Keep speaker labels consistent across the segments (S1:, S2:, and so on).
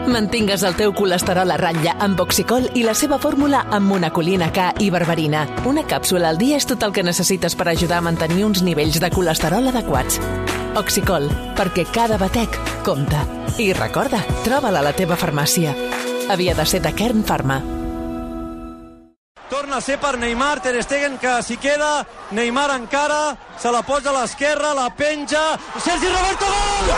S1: Mantingues el teu colesterol a ratlla amb Oxicol i la seva fórmula amb monacolina K i berberina. Una càpsula al dia és tot el que necessites per ajudar a mantenir uns nivells de colesterol adequats. Oxicol, perquè cada batec compta. I recorda, troba-la a la teva farmàcia. Havia de ser de Kern Pharma.
S2: Torna a ser per Neymar, Ter Stegen que s'hi queda, Neymar encara, se la posa a l'esquerra, la penja, Sergi Roberto, gol!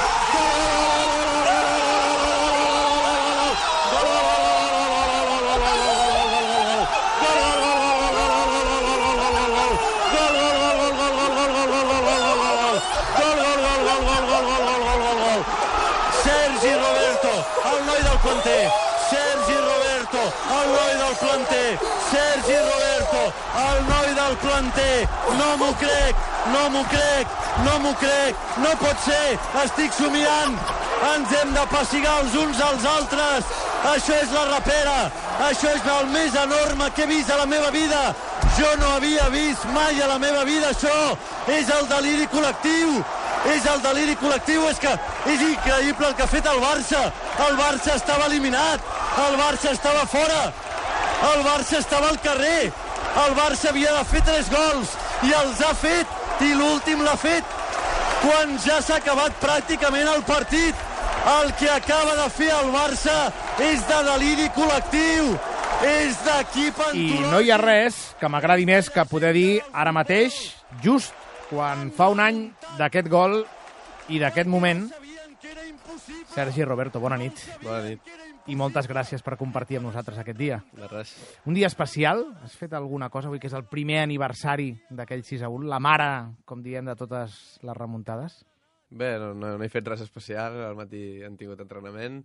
S2: Sergi Roberto, el noi del planter, Sergi Roberto, el noi del planter, Sergi Roberto, el noi del planter, no m'ho crec, no m'ho crec, no m'ho crec, no pot ser, estic somiant, ens hem de pessigar els uns als altres, això és la rapera, això és el més enorme que he vist a la meva vida, jo no havia vist mai a la meva vida això, és el deliri col·lectiu, és el deliri col·lectiu, és que és increïble el que ha fet el Barça estava eliminat, el Barça estava fora, el Barça estava al carrer, el Barça havia de fer 3 gols i els ha fet, i l'últim l'ha fet quan ja s'ha acabat pràcticament el partit. El que acaba de fer el Barça és de deliri col·lectiu, és d'equip antològic.
S3: I no hi ha res que m'agradi més que poder dir ara mateix, just quan fa un any d'aquest gol i d'aquest moment. Sergi Roberto, bona nit.
S4: Bona nit.
S3: I moltes gràcies per compartir amb nosaltres aquest dia.
S4: De res.
S3: Un dia especial. Has fet alguna cosa avui, que és el primer aniversari d'aquell 6-1, la mare, com diem, de totes les remuntades?
S4: Bé, no he fet res especial. Al matí hem tingut entrenament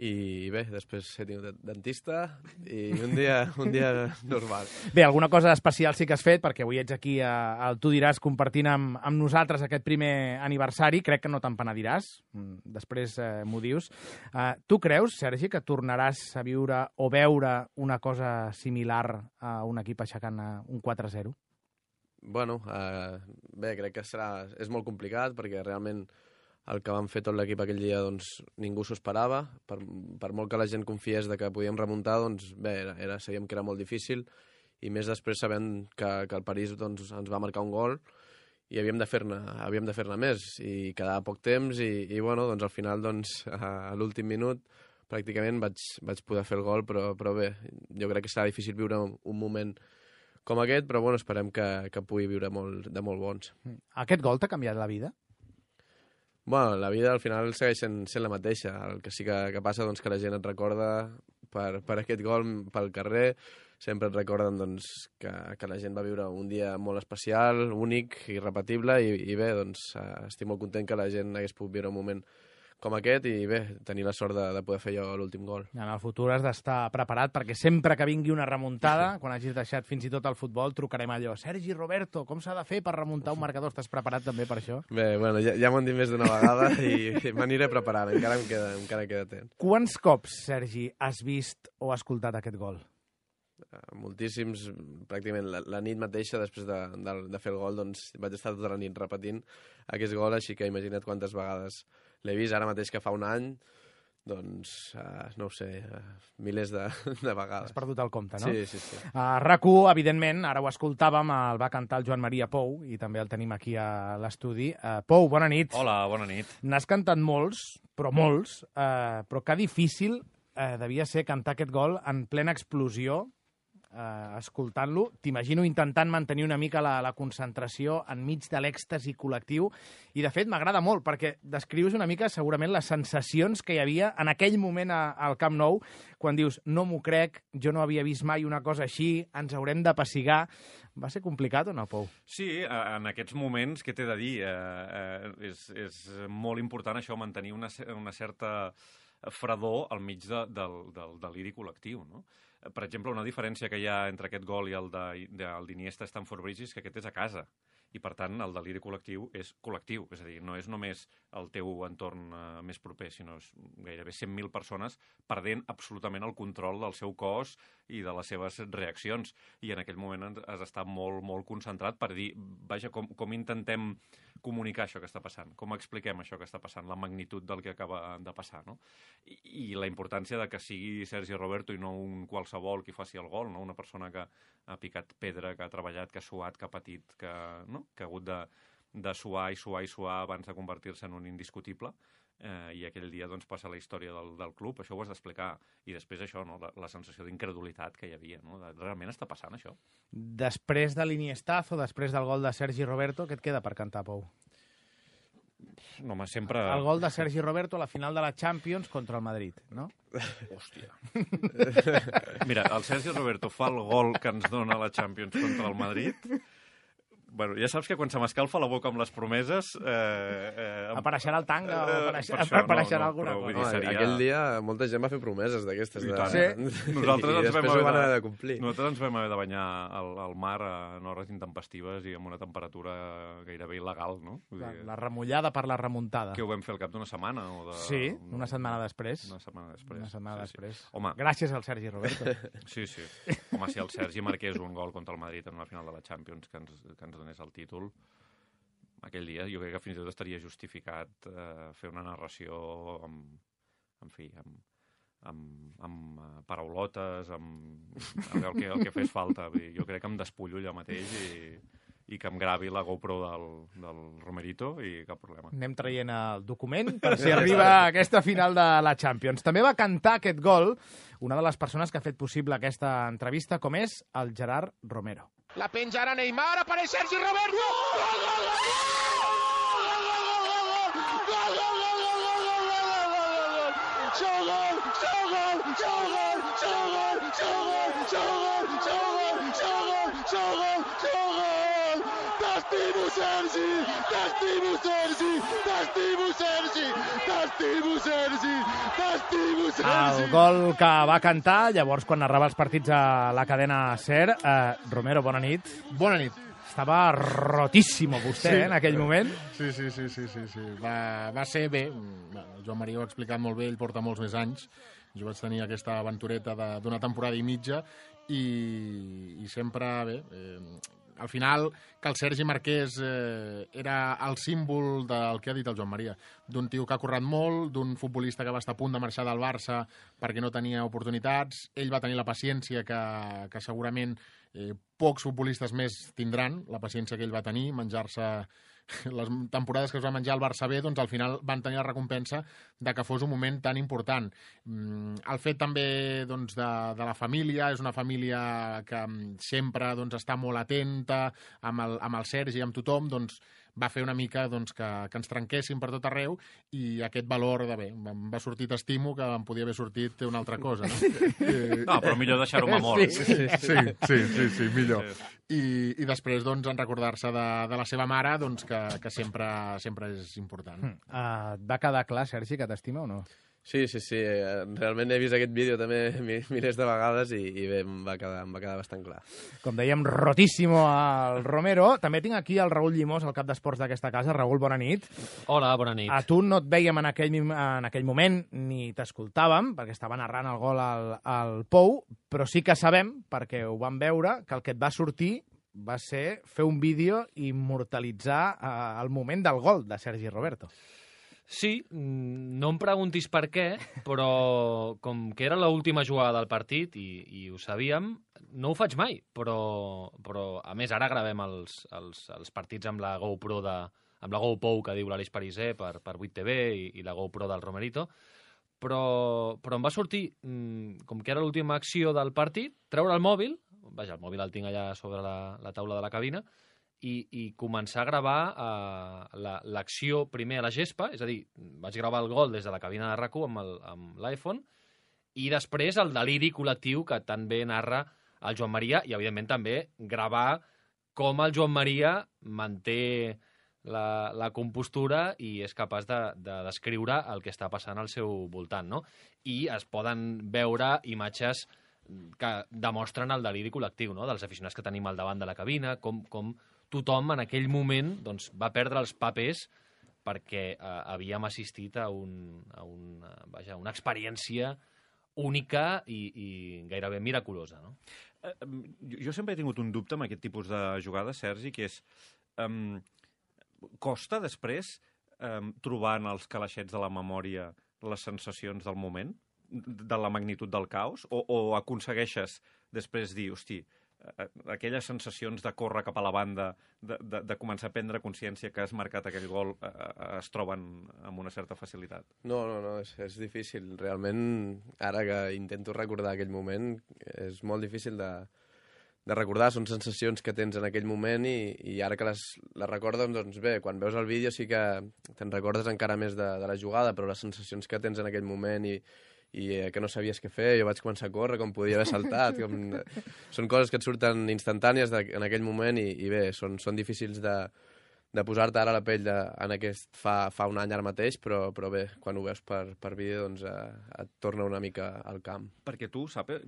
S4: i bé, després he tingut dentista i un dia normal.
S3: Bé, alguna cosa especial sí que has fet, perquè avui ets aquí al Tu diràs compartint amb nosaltres aquest primer aniversari. Crec que no te'n penediràs, després m'ho dius. Tu creus, Sergi, que tornaràs a viure o veure una cosa similar a un equip aixecant un 4-0?
S4: Bueno, bé, crec que és molt complicat perquè realment el que vam fer tot l'equip aquell dia doncs, ningú s'ho esperava. Per molt que la gent confiés de que podíem remuntar, doncs bé, sabíem que era molt difícil i més després sabent que el París doncs, ens va marcar un gol i havíem de fer-ne més i quedava poc temps i bueno, doncs, al final doncs, a l'últim minut pràcticament vaig poder fer el gol, però bé, jo crec que serà difícil viure un moment com aquest, però bueno, esperem que pugui viure de molt bons.
S3: Aquest gol t'ha canviat la vida?
S4: Bueno, la vida al final segueix sent la mateixa. El que sí que passa doncs, que la gent et recorda per aquest gol pel carrer, sempre et recorden doncs, que la gent va viure un dia molt especial, únic, irrepetible i bé, doncs, estic molt content que la gent hagués pogut viure un moment com aquest i bé, tenir la sort de poder fer jo l'últim gol.
S3: En el futur has d'estar preparat perquè sempre que vingui una remuntada, quan hagis deixat fins i tot el futbol, trucarem allò. Sergi Roberto, com s'ha de fer per remuntar un marcador? Estàs preparat també per això?
S4: Bé, bueno, ja m'ho han dit més d'una vegada i m'aniré preparant, encara queda temps.
S3: Quants cops, Sergi, has vist o escoltat aquest gol?
S4: Moltíssims, pràcticament la nit mateixa després de fer el gol doncs, vaig estar tota la nit repetint aquest gol, així que imagina't quantes vegades l'he vist. Ara mateix que fa un any, doncs, no ho sé, milers de vegades.
S3: Has perdut el compte, no?
S4: Sí.
S3: RAC1, evidentment, ara ho escoltàvem, el va cantar el Joan Maria Pou, i també el tenim aquí a l'estudi. Pou, bona nit.
S5: Hola, bona nit.
S3: N'has cantat molts, però que difícil devia ser cantar aquest gol en plena explosió, escoltant-lo. T'imagino intentant mantenir una mica la concentració enmig de l'èxtasi col·lectiu i de fet m'agrada molt perquè descrius una mica segurament les sensacions que hi havia en aquell moment al Camp Nou quan dius no m'ho crec, jo no havia vist mai una cosa així, ens haurem de pessigar. Va ser complicat o no, Pou?
S5: Sí, en aquests moments, què t'he de dir? És molt important això, mantenir una certa fredor al mig del deliri col·lectiu, no? Per exemple, una diferència que hi ha entre aquest gol i el d'Iniesta Stamford Bridge és que aquest és a casa i, per tant, el deliri col·lectiu és col·lectiu. És a dir, no és només el teu entorn més proper, sinó gairebé 100.000 persones perdent absolutament el control del seu cos i de les seves reaccions. I en aquell moment has d'estar molt, molt concentrat per dir, vaja, com intentem comunicar això que està passant? Com expliquem això que està passant, la magnitud del que acaba de passar, no? I la importància de que sigui Sergi Roberto i no un qualsevol qui faci el gol, no? Una persona que ha picat pedra, que ha treballat, que ha suat, que ha patit, que ha hagut de suar i suar i suar abans de convertir-se en un indiscutible, i aquell dia doncs, passa la història del club, això ho has d'explicar, i després això, no? La sensació d'incredulitat que hi havia, no? Realment està passant això?
S3: Després de l'Iniestazo, després del gol de Sergi Roberto, què et queda per cantar, Pou?
S5: No, home, sempre...
S3: El gol de Sergi Roberto a la final de la Champions contra el Madrid, no?
S5: Hòstia. Mira, el Sergi Roberto fa el gol que ens dona la Champions contra el Madrid. Bueno, ja saps que quan se m'escalfa la boca amb les promeses...
S3: Apareixerà el tanga o apareixerà alguna cosa.
S4: Dir, seria... Aquell dia molta gent va fer promeses d'aquestes.
S3: Sí.
S5: Nosaltres
S4: I després ho van haver de complir.
S5: Nosaltres ens vam haver de banyar al mar en hores intempestives i amb una temperatura gairebé il·legal, no?
S3: La remullada per la remuntada.
S5: Que ho vam fer al cap d'una setmana?
S3: Sí, una setmana després.
S5: Una setmana després.
S3: Una setmana després.
S5: Home,
S3: gràcies al Sergi Roberto.
S5: Sí. Home, si el Sergi marqués un gol contra el Madrid en una final de la Champions que ens donés el títol, aquell dia jo crec que fins i tot estaria justificat fer una narració amb paraulotes, amb el que fes falta. Jo crec que em despullo allà mateix i que em gravi la GoPro del Romerito i cap problema.
S3: Anem traient el document per si arriba a aquesta final de la Champions. També va cantar aquest gol una de les persones que ha fet possible aquesta entrevista, com és el Gerard Romero.
S6: La penja ara Neymar, apareix Sergi Roberto! Gol, gol, gol, T'estimo, Sergi! T'estimo, Sergi! T'estimo, Sergi! T'estimo, Sergi! T'estimo, Sergi!
S3: El gol que va cantar llavors quan narrava els partits a la cadena SER. Romero, bona nit.
S7: Bona nit.
S3: Estava rotíssimo vostè, en aquell moment.
S7: Sí. Va ser bé. El Joan Maria ho ha explicat molt bé, ell porta molts més anys. Jo vaig tenir aquesta aventureta d'una temporada i mitja i sempre, bé, al final, que el Sergi marqués era el símbol del que ha dit el Joan Maria, d'un tio que ha currat molt, d'un futbolista que va estar a punt de marxar del Barça perquè no tenia oportunitats. Ell va tenir la paciència que segurament pocs futbolistes més tindran, la paciència que ell va tenir, menjar-se les temporades que es va menjar el Barça B, doncs al final van tenir la recompensa de que fos un moment tan important. El fet també doncs, de la família, és una família que sempre doncs, està molt atenta amb el Sergi i amb tothom, doncs va fer una mica doncs, que ens trenquéssim per tot arreu i aquest valor de bé, em va sortir t'estimo que em podia haver sortit una altra cosa. No,
S5: no però millor deixar-ho memòria.
S7: Sí, millor. I després doncs, en recordar-se de la seva mare doncs, que sempre és important.
S3: Et va quedar clar, Sergi, que t'estima o no?
S4: Sí. Realment he vist aquest vídeo també milers de vegades i bé, em va quedar bastant clar.
S3: Com dèiem, rotíssimo al Romero. També tinc aquí el Raül Llimós, el cap d'esports d'aquesta casa. Raül, bona nit.
S8: Hola, bona nit.
S3: A tu no et veiem en aquell moment ni t'escoltàvem, perquè estava narrant el gol al Pou, però sí que sabem, perquè ho vam veure, que el que et va sortir va ser fer un vídeo i immortalitzar el moment del gol de Sergi Roberto.
S8: Sí, no em preguntis per què, però com que era l'última jugada del partit i ho sabíem, no ho faig mai, però a més ara gravem els partits amb la GoPro amb la GoPou que diu l'Aleix Pariser per 8TV i la GoPro del Romerito, però em va sortir, com que era l'última acció del partit, treure el mòbil, vaja, el mòbil el tinc allà sobre la taula de la cabina, i començar a gravar l'acció primer a la gespa, és a dir, vaig gravar el gol des de la cabina de RAC1 amb l'iPhone, i després el deliri col·lectiu que tan bé narra el Joan Maria, i evidentment també gravar com el Joan Maria manté la compostura i és capaç de descriure el que està passant al seu voltant, no? I es poden veure imatges que demostren el deliri col·lectiu, no? Dels aficionats que tenim al davant de la cabina, com tothom en aquell moment doncs, va perdre els papers perquè havíem assistit a una experiència única i gairebé miraculosa. No?
S5: Jo sempre he tingut un dubte amb aquest tipus de jugades, Sergi, que és... Costa després trobar en els calaixets de la memòria les sensacions del moment, de la magnitud del caos, o aconsegueixes després dir, hosti, aquelles sensacions de córrer cap a la banda, de començar a prendre consciència que has marcat aquell gol, es troben amb una certa facilitat?
S4: No, és difícil. Realment, ara que intento recordar aquell moment, és molt difícil de recordar. Són sensacions que tens en aquell moment i ara que les recordes, doncs bé, quan veus el vídeo sí que te'n recordes encara més de la jugada, però les sensacions que tens en aquell moment i que no sabies què fer, jo vaig començar a córrer com podia haver saltat. Són coses que et surten instantànies en aquell moment i bé, són difícils de posar-te ara a la pell en aquest fa un any ara mateix, però bé, quan ho veus per vídeo doncs et torna una mica al camp.
S5: Perquè tu, saps,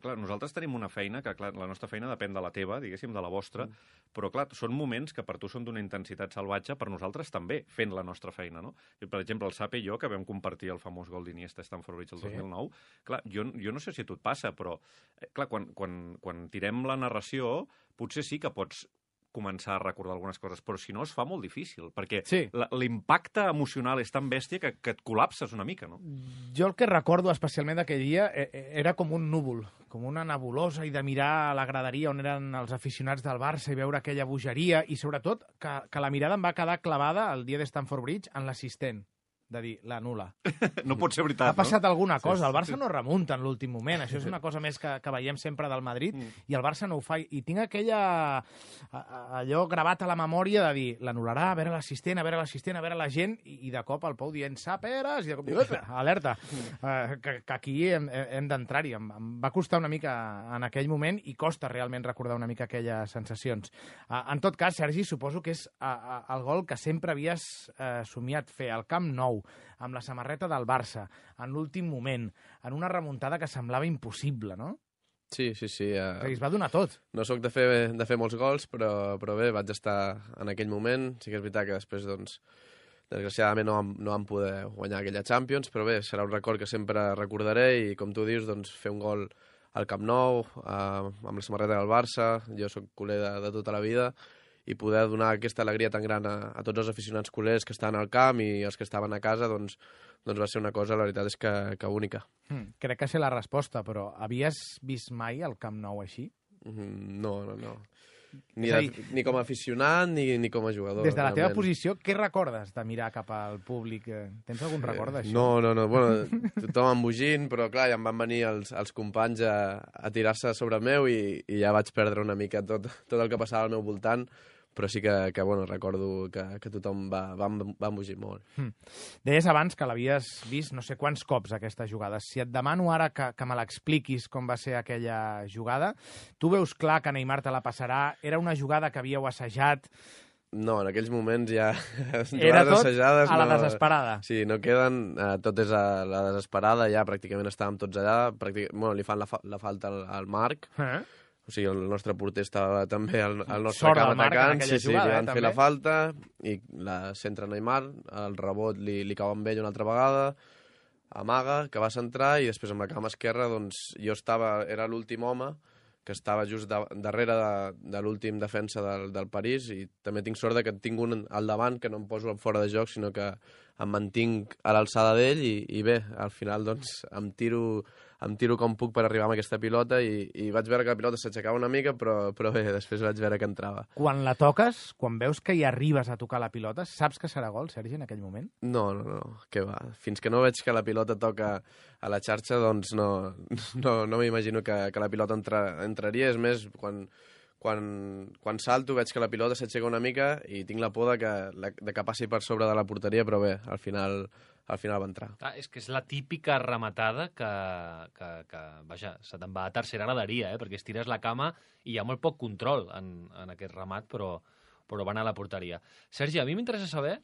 S5: clar, nosaltres tenim una feina que, clar, la nostra feina depèn de la teva, diguéssim, de la vostra, però, clar, són moments que per tu són d'una intensitat salvatge, per nosaltres també, fent la nostra feina, no? Per exemple, el Sape i jo, que vam compartir el famós gol d'Iniesta a Stamford Bridge el 2009, clar, jo no sé si a tu et passa, però, clar, quan tirem la narració, potser sí que pots començar a recordar algunes coses, però si no es fa molt difícil, perquè l'impacte emocional és tan bèstia que et col·lapses una mica, no?
S3: Jo el que recordo especialment d'aquell dia era com un núvol, com una nebulosa, i de mirar a la graderia on eren els aficionats del Barça i veure aquella bogeria, i sobretot que la mirada em va quedar clavada el dia de Stamford Bridge en l'assistent, de dir, l'anul·la.
S5: No pot ser veritat, no?
S3: Ha passat alguna cosa, el Barça no remunta en l'últim moment, això és una cosa més que veiem sempre del Madrid, i el Barça no ho fa, i tinc allò gravat a la memòria de dir, l'anul·larà, a veure l'assistent, a veure la gent, i de cop el Pou dient, Saperes, i de cop, alerta, que aquí hem d'entrar-hi. Em va costar una mica en aquell moment, i costa realment recordar una mica aquelles sensacions. En tot cas, Sergi, suposo que és el gol que sempre havies somiat fer, al Camp Nou, amb la samarreta del Barça, en l'últim moment, en una remuntada que semblava impossible, no?
S4: Sí.
S3: Es va donar tot.
S4: No sóc de fer molts gols, però bé, vaig estar en aquell moment. Sí que és veritat que després, doncs, desgraciadament no vam poder guanyar aquella Champions, però bé, serà un record que sempre recordaré i, com tu dius, doncs, fer un gol al Camp Nou, amb la samarreta del Barça, jo sóc culer de tota la vida, i poder donar aquesta alegria tan gran a tots els aficionats culers que estan al camp i els que estaven a casa, doncs va ser una cosa, la veritat és que única.
S3: Crec que sé la resposta, però havies vist mai el Camp Nou així?
S4: No. Ni com a aficionat ni com a jugador.
S3: Des de la teva posició, què recordes de mirar cap al públic? Tens algun record d'això?
S4: No. Bueno, tothom embogint, però clar, ja em van venir els companys a tirar-se sobre meu i ja vaig perdre una mica tot el que passava al meu voltant, però sí que bueno, recordo que tothom va embogir molt.
S3: Deies abans que l'havies vist no sé quants cops, aquesta jugada. Si et demano ara que me l'expliquis com va ser aquella jugada, tu veus clar que Neymar te la passarà? Era una jugada que havíeu assajat?
S4: No, en aquells moments ja...
S3: Era tot assajades, a la desesperada.
S4: Sí, no queden, tot és a la desesperada, ja pràcticament estàvem tots allà, bueno, li fan la falta al Marc, o sigui, el nostre porter estava també al nostre camp atacant, li van fer la falta i la centra Neymar, el rebot li cau amb ell una altra vegada, amaga, que va centrar i després amb la cama esquerra, doncs jo era l'últim home que estava just darrere de l'últim defensa del París i també tinc sort que tinc un al davant que no em poso fora de joc, sinó que em mantinc a l'alçada d'ell i bé, al final doncs em tiro com puc per arribar amb aquesta pilota i vaig veure que la pilota s'aixecava una mica, però bé, després vaig veure que entrava.
S3: Quan la toques, quan veus que hi arribes a tocar la pilota, saps que serà gol, Sergi, en aquell moment?
S4: No, què va. Fins que no veig que la pilota toca a la xarxa, doncs no m'imagino que la pilota entraria. És més, quan salto veig que la pilota s'aixeca una mica i tinc la por de que passi per sobre de la porteria, però bé, al final va entrar.
S8: És que és la típica rematada que vaja, se te'n va a tercera graderia, perquè estires la cama i hi ha molt poc control en aquest remat, però va anar a la porteria. Sergi, a mi m'interessa saber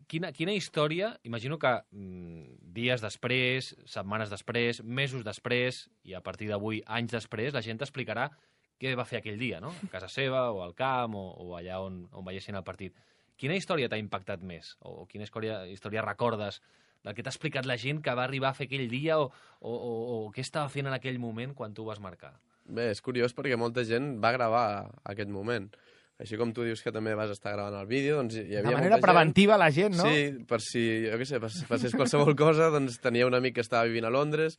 S8: quina història, imagino que dies després, setmanes després, mesos després, i a partir d'avui, anys després, la gent t'explicarà què va fer aquell dia, no? A casa seva, o al camp, o allà on veiessin el partit. Quina història t'ha impactat més? O quina història recordes del que t'ha explicat la gent que va arribar a fer aquell dia o què estava fent en aquell moment quan tu vas marcar?
S4: Bé, és curiós perquè molta gent va gravar aquest moment. així com tu dius que també vas estar gravant el vídeo, doncs hi havia
S3: de manera preventiva la gent, no?
S4: Sí, per si, jo què sé, passés qualsevol cosa, doncs tenia un amic que estava vivint a Londres,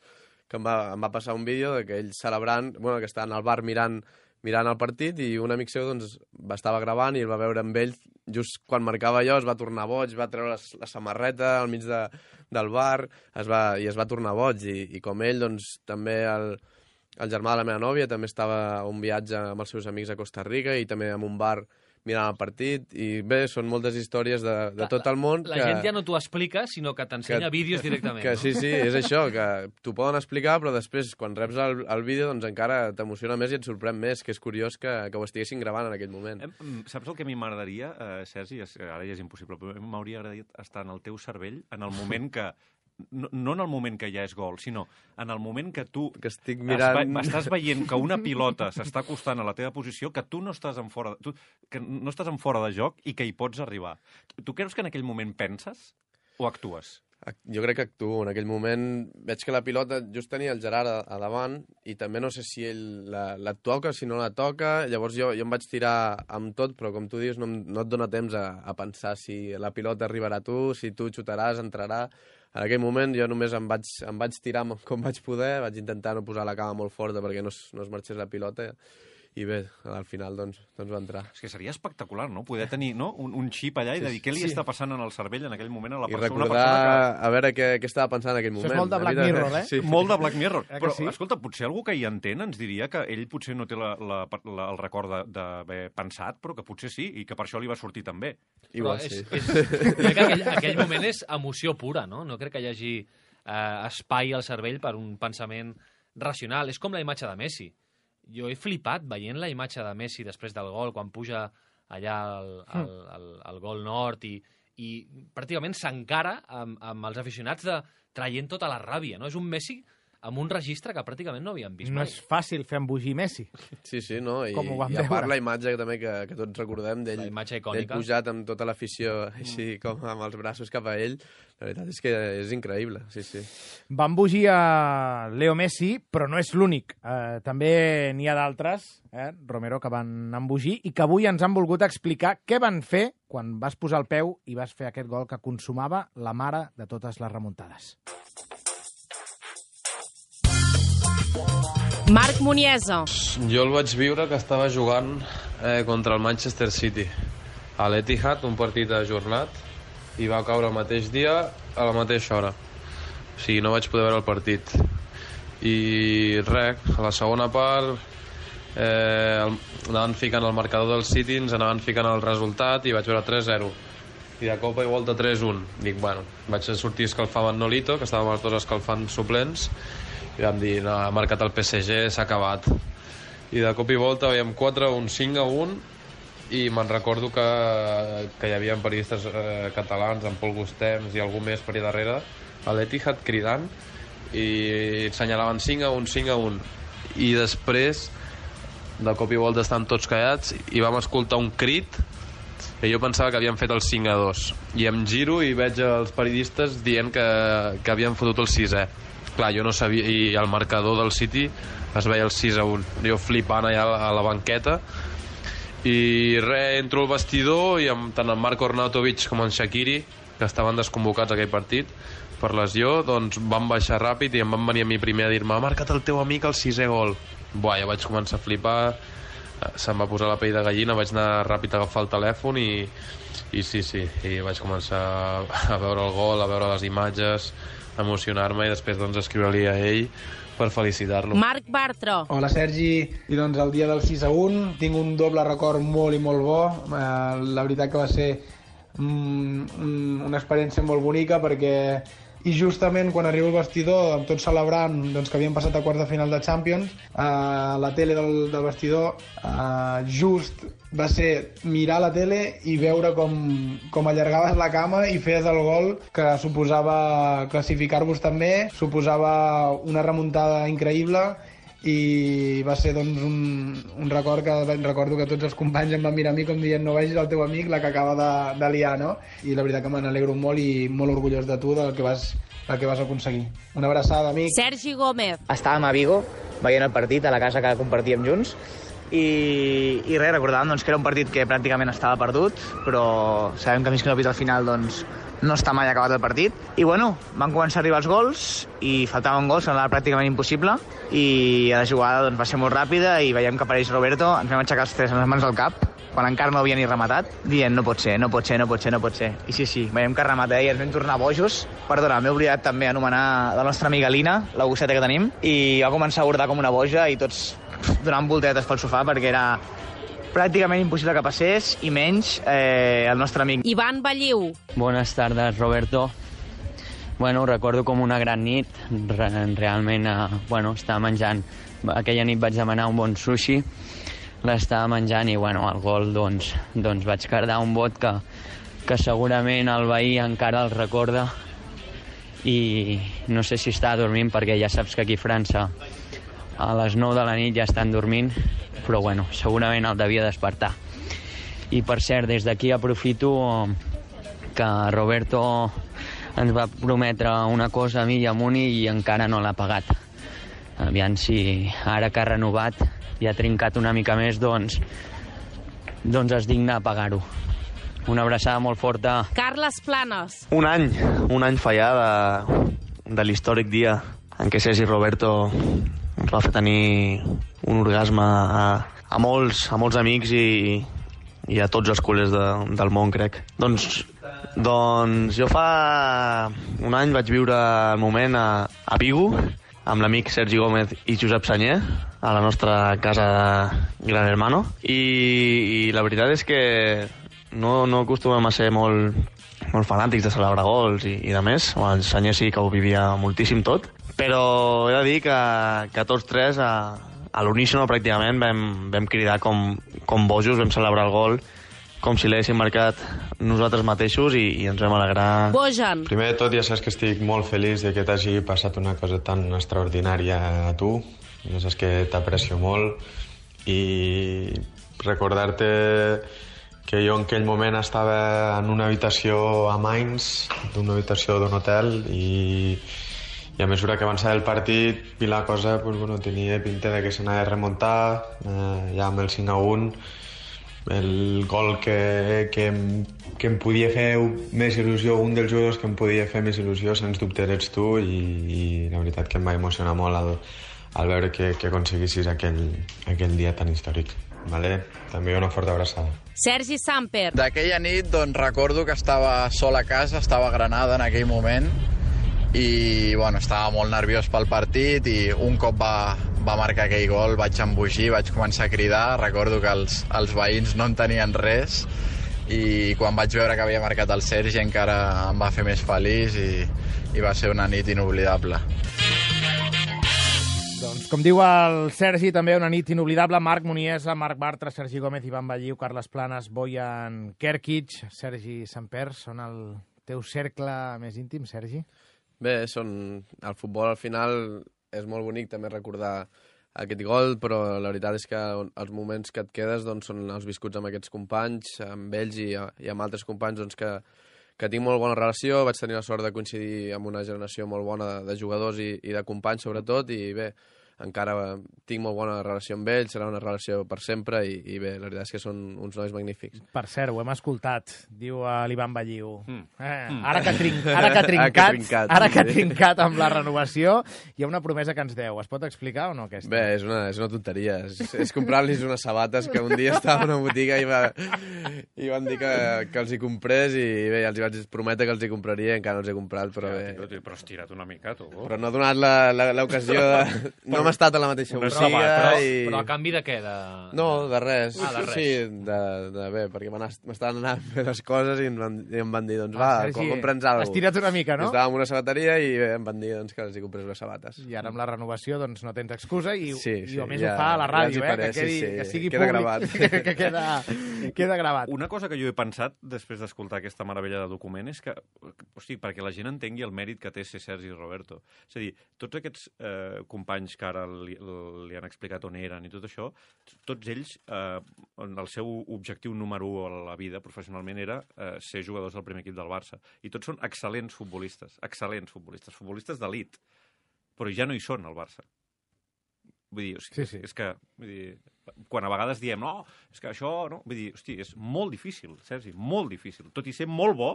S4: que em va passar un vídeo de que ell celebrant, bueno, que estava al bar mirant el partit, i un amic seu doncs estava gravant i el va veure amb ell, just quan marcava allò es va tornar boig, va treure la samarreta al mig del bar, i es va tornar boig, i com ell, doncs també el germà de la meva nòvia també estava a un viatge amb els seus amics a Costa Rica i també en un bar mirant el partit, i bé, són moltes històries de tot el món.
S8: La gent ja no t'ho explica, sinó que t'ensenya vídeos directament.
S4: Que sí, és això, que t'ho poden explicar, però després, quan reps el vídeo, doncs encara t'emociona més i et sorprèn més, que és curiós que ho estiguessin gravant en aquell moment.
S5: Saps el que a mi m'agradaria, Sergi? Ara ja és impossible, però m'hauria agradat estar en el teu cervell en el moment que... No en el moment que ja és gol, sinó en el moment que tu
S4: estic mirant...
S5: estàs veient que una pilota s'està acostant a la teva posició, que tu no estàs en fora de joc i que hi pots arribar. Tu creus que en aquell moment penses o actues?
S4: Jo crec que actuo. En aquell moment veig que la pilota just tenia el Gerard a davant i també no sé si ell la toca, si no la toca. Llavors jo em vaig tirar amb tot, però com tu dius, no et dona temps a pensar si la pilota arribarà a tu, si tu xutaràs, entrarà. En aquell moment jo només em vaig tirar com vaig poder, vaig intentar no posar la cama molt forta perquè no es marxés la pilota, i bé, al final doncs va entrar.
S5: És que seria espectacular, no? Poder tenir un xip allà i de dir què li està passant en el cervell en aquell moment a la persona.
S4: I recordar, a veure què estava pensant en aquell moment.
S3: Això és molt de Black Mirror, eh?
S5: Sí. Molt de Black Mirror. Però, escolta, potser algú que hi entén ens diria que ell potser no té el record d'haver pensat, però que potser sí, i que per això li va sortir tan bé.
S4: Igual sí.
S8: Crec que aquell moment és emoció pura, no? No crec que hi hagi espai al cervell per un pensament racional. És com la imatge de Messi. Jo he flipat veient la imatge de Messi després del gol, quan puja allà al gol nord i pràcticament s'encara amb els aficionats traient tota la ràbia, no? És un Messi amb un registre que pràcticament no havíem vist mai.
S3: No és fàcil fer embogir Messi.
S4: Sí, no? I
S3: a
S4: part la imatge també que tots recordem d'ell pujat amb tota l'afició així com amb els braços cap a ell, la veritat és que és increïble, sí.
S3: Va embogir a Leo Messi, però no és l'únic. També n'hi ha d'altres, Romero, que van embogir i que avui ens han volgut explicar què van fer quan vas posar el peu i vas fer aquest gol que consumava la mare de totes les remuntades.
S9: Marc Muniesa.
S10: Jo el vaig viure que estava jugant contra el Manchester City a l'Etihad, un partit ajornat, i va caure el mateix dia a la mateixa hora. O sigui, no vaig poder veure el partit. I res, a la segona part anaven ficant el marcador del City, ens anaven ficant el resultat i vaig veure 3-0. I de cop i volta 3-1. Dic, bueno, vaig sortir escalfant Nolito, que estàvem els dos escalfant suplents, i vam dir, no, ha marcat el PSG, s'ha acabat. I de cop i volta veiem 4-1, 5-1, i me'n recordo que hi havia periodistes catalans, en Pol Gustems i algú més per allà darrere, a l'Etihad cridant, i assenyalaven 5-1, 5-1. I després, de cop i volta estan tots callats, i vam escoltar un crit, i jo pensava que havien fet el 5-2. I em giro i veig els periodistes dient que havien fotut el 6è. Clar, jo no sabia, i el marcador del City es veia el 6-1. Jo flipant allà a la banqueta, i entro al vestidor i tant en Marko Arnautovic com en Shaqiri, que estaven desconvocats aquell partit per lesió, doncs van baixar ràpid i em van venir a mi primer a dir-me, ha marcat el teu amic el 6è gol. Buah, jo vaig començar a flipar, se'm va posar la pell de gallina, vaig anar ràpid a agafar el telèfon i sí, i vaig començar a veure el gol, a veure les imatges, emocionar-me i després doncs escriure-li a ell per felicitar-lo.
S9: Marc Bartra.
S11: Hola Sergi, i doncs el dia del 6-1 tinc un doble record molt i molt bo. La veritat que va ser una experiència molt bonica perquè i justament quan arribo al vestidor amb tots celebrant doncs, que havien passat a quarts de final de Champions, a la tele del vestidor just va ser mirar la tele i veure com allargaves la cama i feies el gol que suposava classificar-vos també, suposava una remuntada increïble i va ser doncs, un record que recordo que tots els companys em van mirar a mi com dient no vegis el teu amic la que acaba de liar, no? I la veritat que me n'alegro molt i molt orgullós de tu del que vas aconseguir. Una abraçada, amic.
S9: Sergi Gómez.
S12: Estàvem a Vigo veient el partit a la casa que compartíem junts i res, recordàvem doncs, que era un partit que pràcticament estava perdut, però sabem que fins que no pita al final doncs, no està mai acabat el partit. I bueno, van començar a arribar els gols i faltaven gols, semblava pràcticament impossible, i la jugada doncs, va ser molt ràpida i veiem que apareix Roberto, ens vam aixecar els tres amb les mans al cap, quan encara no havia ni rematat, dient no pot ser. I sí, veiem que remata i ens vam tornar bojos. Perdona, m'he oblidat també anomenar la nostra amiga Lina, la gosseta que tenim, i va començar a bordar com una boja i tots donant volteretes pel sofà perquè era pràcticament impossible que passés, i menys el nostre amic.
S9: Ivan Balliu.
S13: Buenas tardes, Roberto. Bueno, ho recordo com una gran nit. Realment, estava menjant. Aquella nit vaig demanar un bon sushi, l'estava menjant i, el gol, doncs vaig cardar un bot que segurament el veí encara el recorda i no sé si està dormint perquè ja saps que aquí a França a les 9 de la nit ja estan dormint, però segurament el devia despertar. I per cert, des d'aquí aprofito que Roberto ens va prometre una cosa a mi i a Muni i encara no l'ha pagat. Aviam si ara que ha renovat i ha trincat una mica més, doncs es digna a pagar-ho. Una abraçada molt forta.
S9: Carles Planes.
S14: Un any fa ja de l'històric dia en què Sergi Roberto ens va fer tenir un orgasme a molts amics i a tots els culers del món, crec. Doncs jo fa un any vaig viure el moment a Vigo amb l'amic Sergi Gómez i Josep Sanyer a la nostra casa de Gran Hermano i la veritat és que no acostumem a ser molt fanàtics de celebrar gols i de més. El Sanyer sí que ho vivia moltíssim tot, però he de dir que tots tres a l'unísono pràcticament vam cridar com bojos, vam celebrar el gol com si l'haguéssim marcat nosaltres mateixos i ens vam alegrar.
S9: Bojan.
S10: Primer de tot, ja saps que estic molt feliç de que t'hagi passat una cosa tan extraordinària a tu. Ja saps que t'aprecio molt i recordar-te que jo en aquell moment estava en una habitació a Mainz, d'una habitació d'un hotel, i a mesura que avançava el partit i la cosa tenia pinta de que s'anava a remuntar, ja amb el 5-1, el gol que em podia fer més il·lusió, un dels jugadors que em podia fer més il·lusió, sens dubte eres tu, i la veritat que em va emocionar molt al veure que aconseguissis aquell dia tan històric. Vale? També una forta abraçada.
S9: Sergi Samper.
S15: D'aquella nit recordo que estava sol a casa, estava a Granada en aquell moment i estava molt nerviós pel partit i un cop va marcar aquell gol vaig embogir, vaig començar a cridar. Recordo que els veïns no en tenien res i quan vaig veure que havia marcat el Sergi encara em va fer més feliç i va ser una nit inoblidable.
S3: Doncs, com diu el Sergi, també una nit inoblidable. Marc Muniesa, Marc Bartra, Sergi Gómez, Ivan Balliu, Carles Planes, Bojan Kerkic, Sergi Samper, són el teu cercle més íntim, Sergi?
S4: Bé, el futbol al final és molt bonic també recordar aquest gol, però la veritat és que els moments que et quedes són els viscuts amb aquests companys, amb ells i amb altres companys que tinc molt bona relació. Vaig tenir la sort de coincidir amb una generació molt bona de jugadors i de companys, sobretot, i bé, encara tinc molt bona relació amb ells, serà una relació per sempre i bé, la veritat és que són uns nois magnífics.
S3: Per cert, ho hem escoltat, diu l'Ivan Balliu. Ara que ha trincat amb la renovació, hi ha una promesa que ens deu. Es pot explicar o no, aquesta?
S4: Bé, és una tonteria. És comprar-los unes sabates que un dia estava a una botiga i van dir que els hi comprés i bé, els hi vaig prometre que els hi compraria i encara no els he comprat, però bé.
S5: Però has tirat una mica, tu.
S4: Però no ha donat l'ocasió de... No hem estat a la mateixa botiga
S8: Però a canvi de què?
S4: No, de res.
S8: De res.
S4: Sí, de bé, perquè m'estaven anant a fer les coses i em van dir, doncs va, compra'ns alguna cosa.
S3: Has tirat una mica, no?
S4: Estàvem en una sabateria i em van dir que els hi comprés les sabates.
S3: I ara amb la renovació doncs no tens excusa i a més ho fa a la ràdio, que sigui
S4: queda
S3: públic.
S4: Gravat.
S3: que queda gravat.
S5: Una cosa que jo he pensat després d'escoltar aquesta meravella de document és que, perquè la gent entengui el mèrit que té ser Sergi Roberto. És a dir, tots aquests companys que ara li han explicat on eren i tot això, tots ells, el seu objectiu número 1 a la vida professionalment era ser jugadors del primer equip del Barça. I tots són excel·lents futbolistes d'elit, però ja no hi són al Barça. Vull dir, és que quan a vegades diem, no, és que això, no? Vull dir, hosti, és molt difícil, Sergi, molt difícil. Tot i ser molt bo,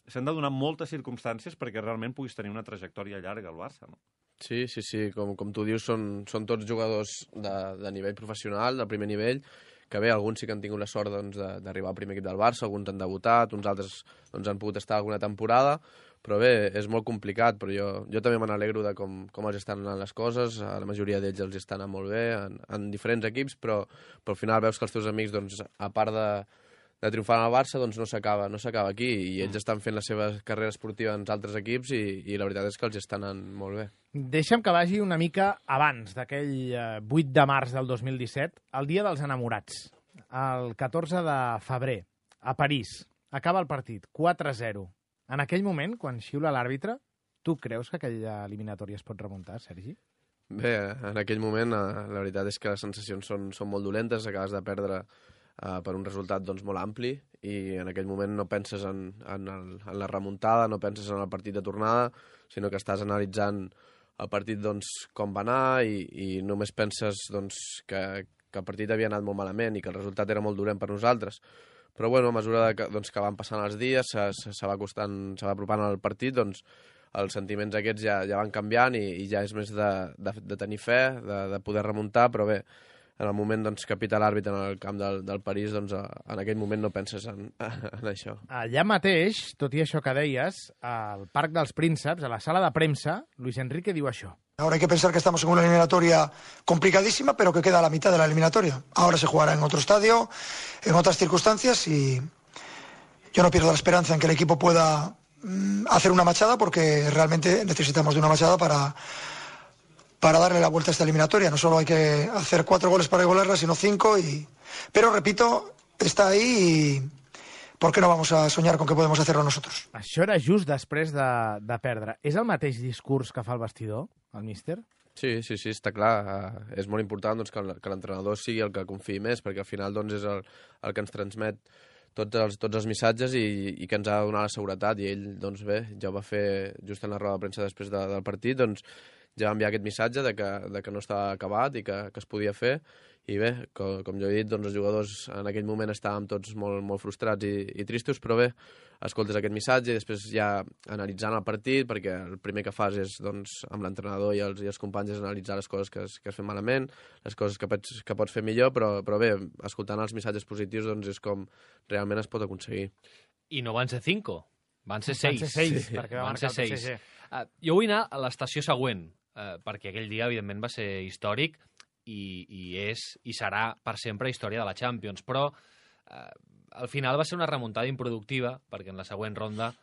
S5: s'han de donar moltes circumstàncies perquè realment puguis tenir una trajectòria llarga al Barça, no?
S4: Sí, com tu dius, són tots jugadors de nivell professional, del primer nivell, que bé, alguns sí que han tingut la sort d'arribar al primer equip del Barça, alguns han debutat, uns altres han pogut estar alguna temporada, però bé, és molt complicat, però jo també me n'alegro de com els estan anant les coses, la majoria d'ells els estan anant molt bé, en diferents equips, però al final veus que els teus amics, doncs, a part de triomfar al Barça, doncs no s'acaba aquí, i ells estan fent la seva carrera esportiva en altres equips i la veritat és que els estan anant molt bé.
S3: Deixa'm que vagi una mica abans d'aquell 8 de març del 2017, el dia dels enamorats, el 14 de febrer, a París. Acaba el partit, 4-0. En aquell moment, quan xiula l'àrbitre, tu creus que aquella eliminatòria es pot remuntar, Sergi?
S4: Bé, en aquell moment la veritat és que les sensacions són molt dolentes, acabes de perdre per un resultat doncs, molt ampli i en aquell moment no penses en la remuntada, no penses en el partit de tornada, sinó que estàs analitzant el partit doncs, com va anar i només penses doncs, que el partit havia anat molt malament i que el resultat era molt dolent per nosaltres. Però bueno, a mesura que van passant els dies, se va apropant al partit, doncs els sentiments aquests ja van canviant i ja és més de tenir fe, de poder remuntar, però bé, en el moment doncs, que pita l'àrbitre en el camp del París, doncs en aquell moment no penses en això.
S3: Allà mateix, tot i això que deies, al Parc dels Prínceps, a la sala de premsa, Luis Enrique diu això.
S16: Ahora hay que pensar que estamos en una eliminatoria complicadísima, pero que queda a la mitad de la eliminatoria. Ahora se jugará en otro estadio, en otras circunstancias, y yo no pierdo la esperanza en que el equipo pueda hacer una machada, porque realmente necesitamos de una machada para darle la vuelta a esta eliminatoria. No solo hay que hacer 4 goles para igualarla, sino 5. Pero, repito, está ahí y ¿por qué no vamos a soñar con que podemos hacerlo nosotros?
S3: Això era just després de perdre. És el mateix discurs que fa el vestidor, el míster?
S4: Sí, està clar. És molt important doncs, que l'entrenador sigui el que confiï més, perquè al final doncs, és el que ens transmet tots els missatges i que ens ha de donar la seguretat. I ell, doncs bé, ja ho va fer just en la roda de premsa després del partit, doncs ja va enviar aquest missatge de que no estava acabat i que es podia fer. I bé, com jo he dit, doncs els jugadors en aquell moment estàvem tots molt, molt frustrats i tristos, però bé, escoltes aquest missatge i després ja analitzant el partit, perquè el primer que fas és, doncs, amb l'entrenador i els companys és analitzar les coses que has fet malament, les coses que pots fer millor, però bé, escoltant els missatges positius doncs és com realment es pot aconseguir.
S8: I no van ser 5, van ser 6.
S3: Van ser 6, perquè va marcar el PSG.
S8: Jo vull anar a l'estació següent, perquè aquell dia, evidentment, va ser històric, i serà per sempre història de la Champions, però al final va ser una remuntada improductiva perquè en la següent ronda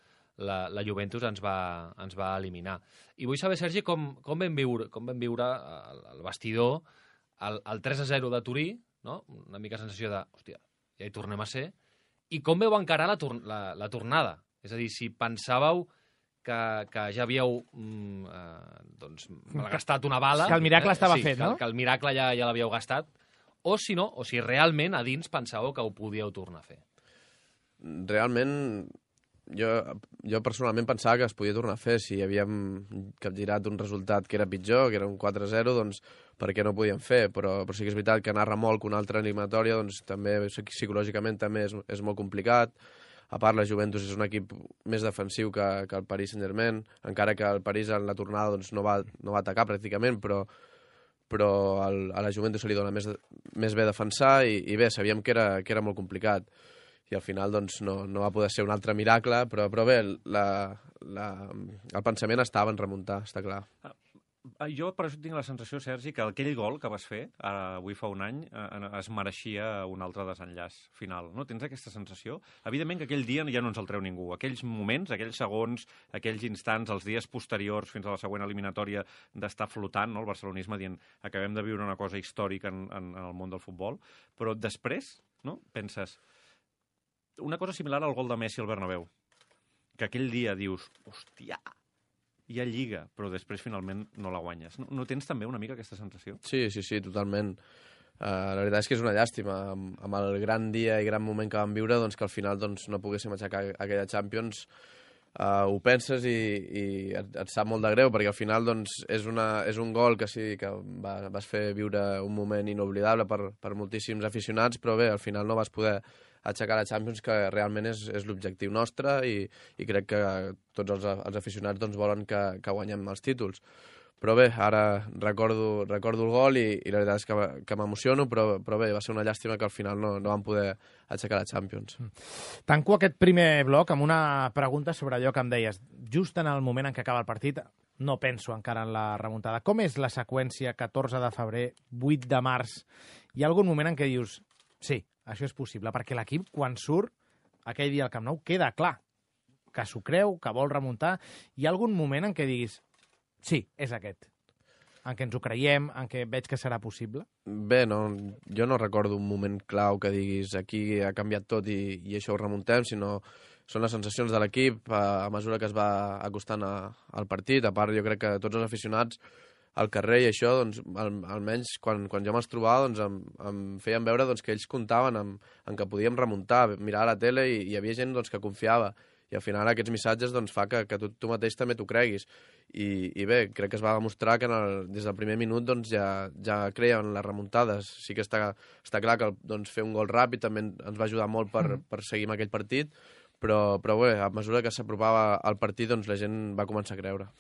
S8: la Juventus ens va eliminar. I vull saber, Sergi, com vam viure el vestidor el 3-0 de Turí, no? Una mica sensació de, hòstia, ja hi tornem a ser, i com veu encarar la tornada? És a dir, si pensàveu que ja havíeu malgastat una bala...
S3: Que el miracle estava fet, no?
S8: Que el miracle ja l'havíeu gastat, o si no, o si realment a dins pensàveu que ho podíeu tornar a fer.
S4: Realment, jo personalment pensava que es podia tornar a fer. Si havíem capgirat un resultat que era pitjor, que era un 4-0, doncs per què no ho podíem fer? Però sí que és veritat que anar remolc una altra eliminatòria, doncs també psicològicament també és molt complicat. A part, la Juventus és un equip més defensiu que el Paris Saint-Germain, encara que el París en la tornada doncs, no va atacar pràcticament, però a la Juventus se li dona més bé defensar i bé, sabíem que era molt complicat. I al final doncs, no va poder ser un altre miracle, però bé, el pensament estava en remuntar, està clar.
S5: Jo per això tinc la sensació, Sergi, que aquell gol que vas fer avui fa un any es mereixia un altre desenllaç final. No? Tens aquesta sensació? Evidentment que aquell dia ja no ens el treu ningú. Aquells moments, aquells segons, aquells instants, els dies posteriors fins a la següent eliminatòria d'estar flotant, no? El barcelonisme dient acabem de viure una cosa històrica en el món del futbol, però després no? Penses una cosa similar al gol de Messi al Bernabéu, que aquell dia dius, hòstia, hi ha lliga, però després finalment no la guanyes. No tens també una mica aquesta sensació?
S4: Sí, totalment. La veritat és que és una llàstima. Amb el gran dia i gran moment que vam viure, doncs, que al final doncs, no poguéssim aixecar aquella Champions, ho penses i et sap molt de greu, perquè al final doncs, és un gol que sí que vas fer viure un moment inoblidable per moltíssims aficionats, però bé, al final no vas poder aixecar la Champions, que realment és l'objectiu nostre i crec que tots els aficionats doncs, volen que guanyem els títols. Però bé, ara recordo el gol i la veritat és que m'emociono, però bé, va ser una llàstima que al final no vam poder aixecar la Champions.
S3: Tanco aquest primer bloc amb una pregunta sobre allò que em deies. Just en el moment en què acaba el partit, no penso encara en la remuntada. Com és la seqüència 14 de febrer, 8 de març? Hi ha algun moment en què dius, sí, això és possible, perquè l'equip, quan surt aquell dia al Camp Nou, queda clar que s'ho creu, que vol remuntar. Hi ha algun moment en què diguis, sí, és aquest, en què ens ho creiem, en què veig que serà possible?
S4: Bé, jo no recordo un moment clau que diguis aquí ha canviat tot i això ho remuntem, sinó són les sensacions de l'equip a mesura que es va acostant al partit. A part, jo crec que tots els aficionats al carrer i això, doncs, almenys quan jo me'ls trobava, doncs, em feien veure doncs, que ells comptaven en que podíem remuntar, mirar a la tele i hi havia gent doncs, que confiava. I al final aquests missatges doncs, fa que tu mateix també t'ho creguis. I bé, crec que es va demostrar que des del primer minut doncs, ja creien en les remuntades. Sí que està clar que doncs, fer un gol ràpid també ens va ajudar molt per seguir amb aquell partit, però bé, a mesura que s'apropava al partit doncs, la gent va començar a creure.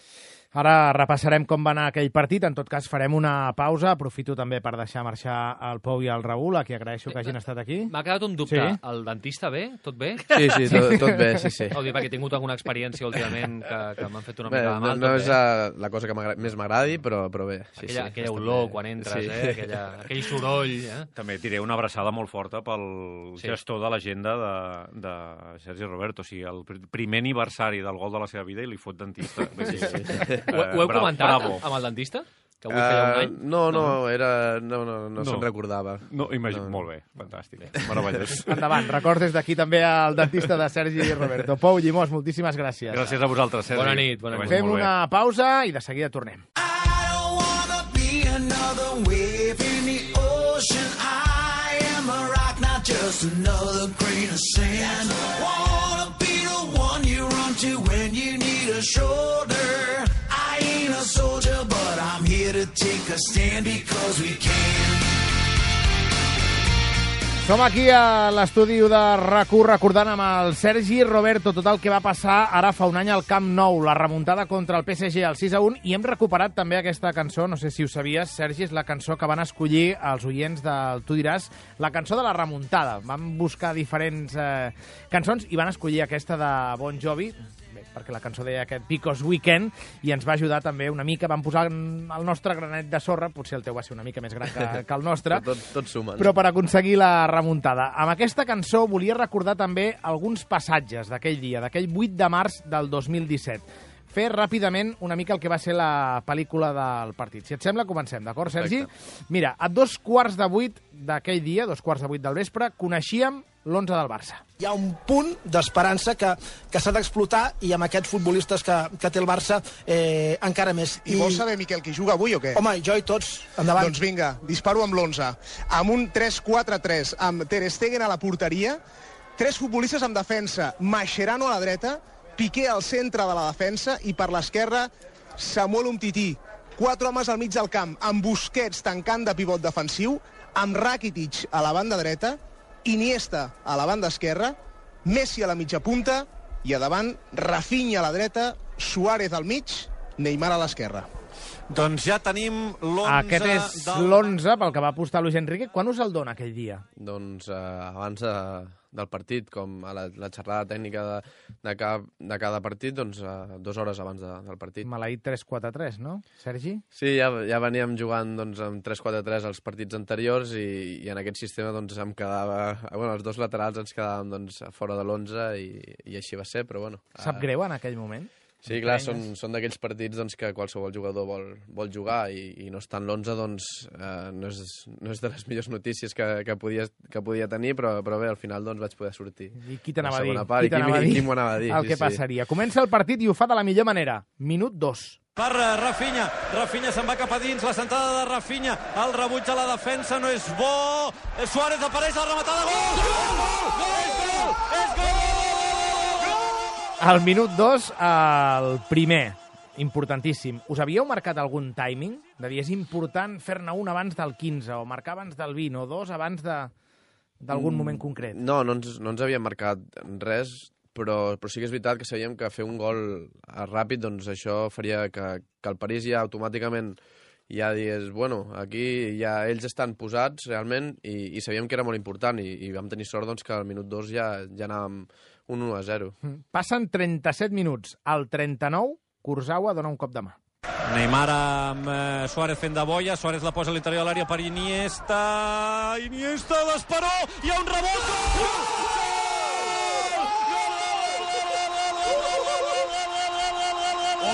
S3: Ara repassarem com va anar aquell partit. En tot cas, farem una pausa. Aprofito també per deixar marxar el Pou i el Raül, a qui agraeixo que hagin estat aquí.
S8: M'ha quedat un dubte.
S3: Sí?
S8: El dentista bé? Tot bé?
S4: Sí, tot bé, sí.
S8: Ho dic perquè he tingut alguna experiència últimament que m'han fet una mica de mal.
S4: No és la cosa que més m'agradi, però bé.
S8: Aquella olor quan entres, aquell soroll.
S5: També diré una abraçada molt forta pel gestor de l'agenda de Sergi Roberto. O sigui, el primer aniversari del gol de la seva vida i li fot dentista.
S8: Ho heu comentat amb el dentista? Que avui feia un any?
S4: No se'n recordava.
S5: No, imagino, molt bé, fantàstic, meravellós.
S3: Endavant, records des d'aquí també al dentista de Sergi Roberto. Pou Llimós, moltíssimes gràcies.
S5: Gràcies a vosaltres, Sergi.
S8: Bona nit.
S3: Fem una pausa i de seguida tornem. Just another grain of sand. Wanna be the one you run to when you need a shoulder. I ain't a soldier, but I'm here to take a stand because we can. Som aquí a l'estudi de RAC1 recordant amb el Sergi Roberto tot el que va passar ara fa un any al Camp Nou, la remuntada contra el PSG al 6-1, i hem recuperat també aquesta cançó, no sé si ho sabies, Sergi, és la cançó que van escollir els oients del Tu diràs, la cançó de la remuntada. Van buscar diferents cançons i van escollir aquesta de Bon Jovi, perquè la cançó deia aquest Because Weekend, i ens va ajudar també una mica. Vam posar el nostre granet de sorra, potser el teu va ser una mica més gran que el nostre,
S4: tot suma,
S3: però per aconseguir la remuntada. Amb aquesta cançó volia recordar també alguns passatges d'aquell dia, d'aquell 8 de març del 2017. Fer ràpidament una mica el que va ser la pel·lícula del partit. Si et sembla, comencem, d'acord, Sergi?
S4: Perfecte.
S3: Mira, a 7:15 d'aquell dia, 7:15 del vespre, coneixíem l'11 del Barça.
S17: Hi ha un punt d'esperança que s'ha d'explotar i amb aquests futbolistes que té el Barça encara més.
S6: I vols saber, Miquel, qui juga avui o què?
S17: Home, jo i tots. Endavant.
S6: Doncs vinga, disparo amb l'11. Amb un 3-4-3, amb Ter Stegen a la porteria, 3 futbolistes en defensa, Mascherano a la dreta, Piqué al centre de la defensa i per l'esquerra Samuel Umtiti. 4 homes al mig del camp, amb Busquets tancant de pivot defensiu, amb Rakitic a la banda dreta, Iniesta a la banda esquerra, Messi a la mitja punta i a davant Rafinha a la dreta, Suárez al mig, Neymar a l'esquerra.
S2: Doncs ja tenim l'11...
S3: Aquest és l'11 pel que va apostar Luis Enrique. Quan us el dona aquell dia?
S4: Doncs abans del partit, com a la xerrada tècnica de cada partit, doncs 2 hores abans del partit.
S3: Maleït 3-4-3, no, Sergi?
S4: Sí, ja veníem jugant doncs, amb 3-4-3 als partits anteriors i en aquest sistema doncs, em quedava... Bueno, els 2 laterals ens quedàvem doncs, fora de l'11 i així va ser, però bueno...
S3: Sap greu en aquell moment?
S4: Sí, clar, són d'aquells partits doncs, que qualsevol jugador vol jugar i no estar en l'11 doncs, no és de les millors notícies que podia tenir, però bé, al final doncs, vaig poder sortir.
S3: I qui t'anava a dir?
S4: Qui m'ho anava a dir?
S3: El que passaria. Comença el partit i ho fa de la millor manera. Minut 2.
S2: Per Rafinha. Rafinha se'n va cap a dins, la sentada de Rafinha. El rebuig a la defensa no és bo. Suárez apareix, la rematada. Gol! Gol! Gol! És gol! És gol!
S3: Al minut 2, el primer, importantíssim. Us havíeu marcat algun timing? De dir, és important fer-ne un abans del 15, o marcar abans del 20, o dos abans d'algun moment concret?
S4: No ens havíem marcat res, però sí que és veritat que sabíem que fer un gol ràpid, doncs això faria que el París ja automàticament ja digués, bueno, aquí ja ells estan posats realment i sabíem que era molt important i vam tenir sort doncs, que al minut 2 ja anàvem un 1-0.
S3: Passen 37 minuts. Al 39, Kurzawa dona un cop de mà.
S18: Neymar amb Suárez fent de boia, Suárez la posa a l'interior de l'àrea per Iniesta, l'Esperó, hi ha un rebot!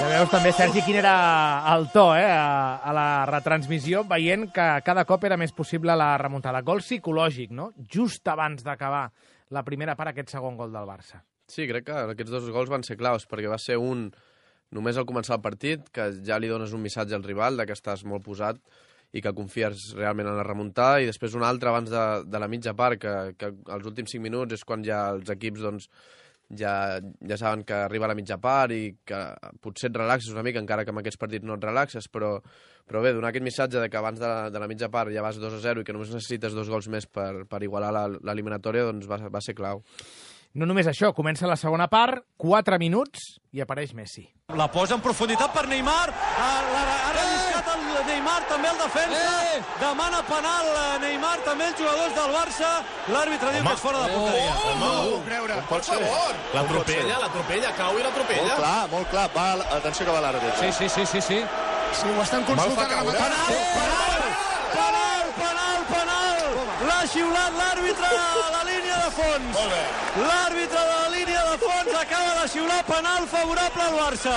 S3: Ja veus també, Sergi, quin era el to a la retransmissió, veient que cada cop era més possible la remuntada. Gol psicològic, no? Just abans d'acabar la primera part, aquest segon gol del Barça.
S4: Sí, crec que aquests dos gols van ser claus, perquè va ser un només al començar el partit, que ja li dones un missatge al rival de que estàs molt posat i que confies realment en la remuntada, i després un altre abans de la mitja part, que els últims 5 minuts és quan ja els equips doncs, ja saben que arriba a la mitja part i que potser et relaxes una mica, encara que en aquests partits no et relaxes, però bé, donar aquest missatge de que abans de la mitja part ja vas 2-0 i que només necessites 2 gols més per igualar l'eliminatòria, doncs va ser clau.
S3: No només això, comença la segona part, 4 minuts i apareix Messi.
S18: La posa en profunditat per Neymar, ha relliscat el Neymar, també el defensa, demana penal Neymar, també els jugadors del Barça, l'àrbitre diu que és fora de porteria.
S6: No ho creure.
S19: Pot ser. L'atropella, cau i l'atropella.
S6: Molt clar. Atenció que va l'àrbitre.
S19: Sí.
S6: Sí, ho estan consultant ara mateix.
S18: Penal! L'ha xiulat l'àrbitre a la línia de fons. L'àrbitre de la línia de fons acaba de xiular penal favorable al Barça.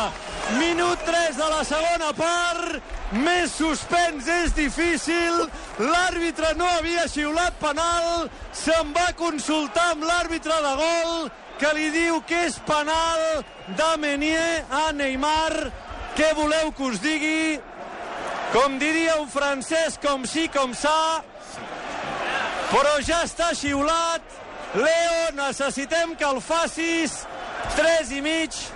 S18: Minut 3 de la segona part. Més suspens és difícil. L'àrbitre no havia xiulat penal. Se'n va consultar amb l'àrbitre de gol, que li diu que és penal de Meunier a Neymar. Què voleu que us digui? Com diria un francès, com sí, com ça. Però ja està xiulat. Leo, necessitem que el facis. 3,5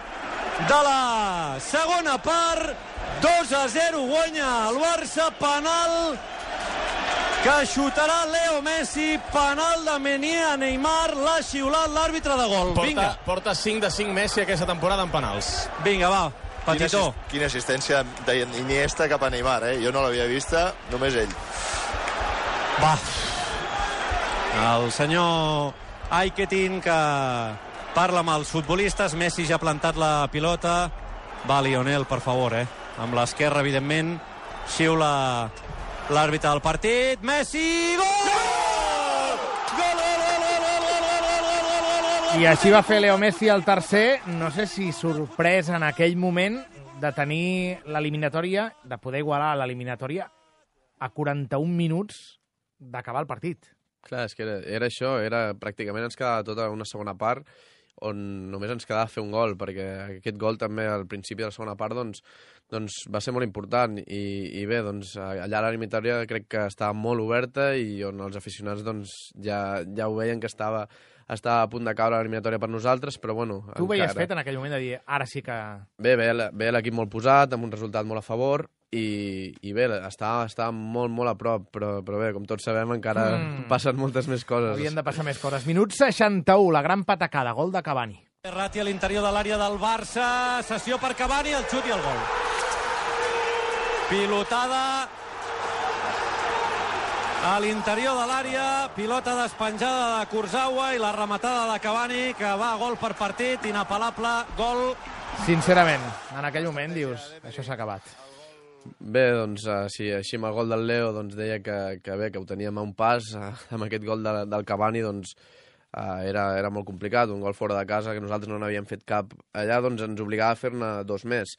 S18: de la segona part. 2-0 guanya el Barça. Penal que xutarà Leo Messi. Penal de Meunier a Neymar. L'ha xiulat l'àrbitre de gol. Vinga.
S19: Porta 5 de 5 Messi aquesta temporada en penals.
S18: Vinga, va. Petitó.
S20: Quina assistència d'Iniesta cap a Neymar, Jo no l'havia vista, només ell.
S18: Va. El senyor Aiketin, que parla amb els futbolistes. Messi ja ha plantat la pilota. Va, Lionel, per favor, Amb l'esquerra, evidentment. Xiula l'àrbitre del partit. Messi! Gol!
S3: I així va fer Leo Messi el tercer, no sé si sorprès en aquell moment de tenir l'eliminatòria, de poder igualar l'eliminatòria a 41 minuts d'acabar el partit.
S4: Clar, és que era això, pràcticament ens quedava tota una segona part on només ens quedava fer un gol, perquè aquest gol també al principi de la segona part doncs va ser molt important i bé, doncs allà l'eliminatòria crec que estava molt oberta i on els aficionats doncs ja ho veien que estava a punt de caure l'eliminatòria per nosaltres, però bueno...
S3: Tu ho veies fet en aquell moment de dir, ara sí que...
S4: Bé, l'equip molt posat, amb un resultat molt a favor, i bé, estava molt, molt a prop, però bé, com tots sabem, encara passen moltes més coses.
S3: Havien de passar més coses. Minut 61, la gran patacada, gol de Cavani.
S18: Ratti a l'interior de l'àrea del Barça, sessió per Cavani, el xut i el gol. Pilotada a l'interior de l'àrea, pilota despenjada de Kurzawa i la rematada de Cavani, que va a gol per partit, inapel·lable, gol.
S3: Sincerament, en aquell moment dius, això s'ha acabat.
S4: Bé, doncs, sí, així amb el gol del Leo doncs, deia que bé, que ho teníem a un pas, amb aquest gol del Cavani, doncs, era molt complicat, un gol fora de casa, que nosaltres no n'havíem fet cap allà, doncs ens obligava a fer-ne 2 més.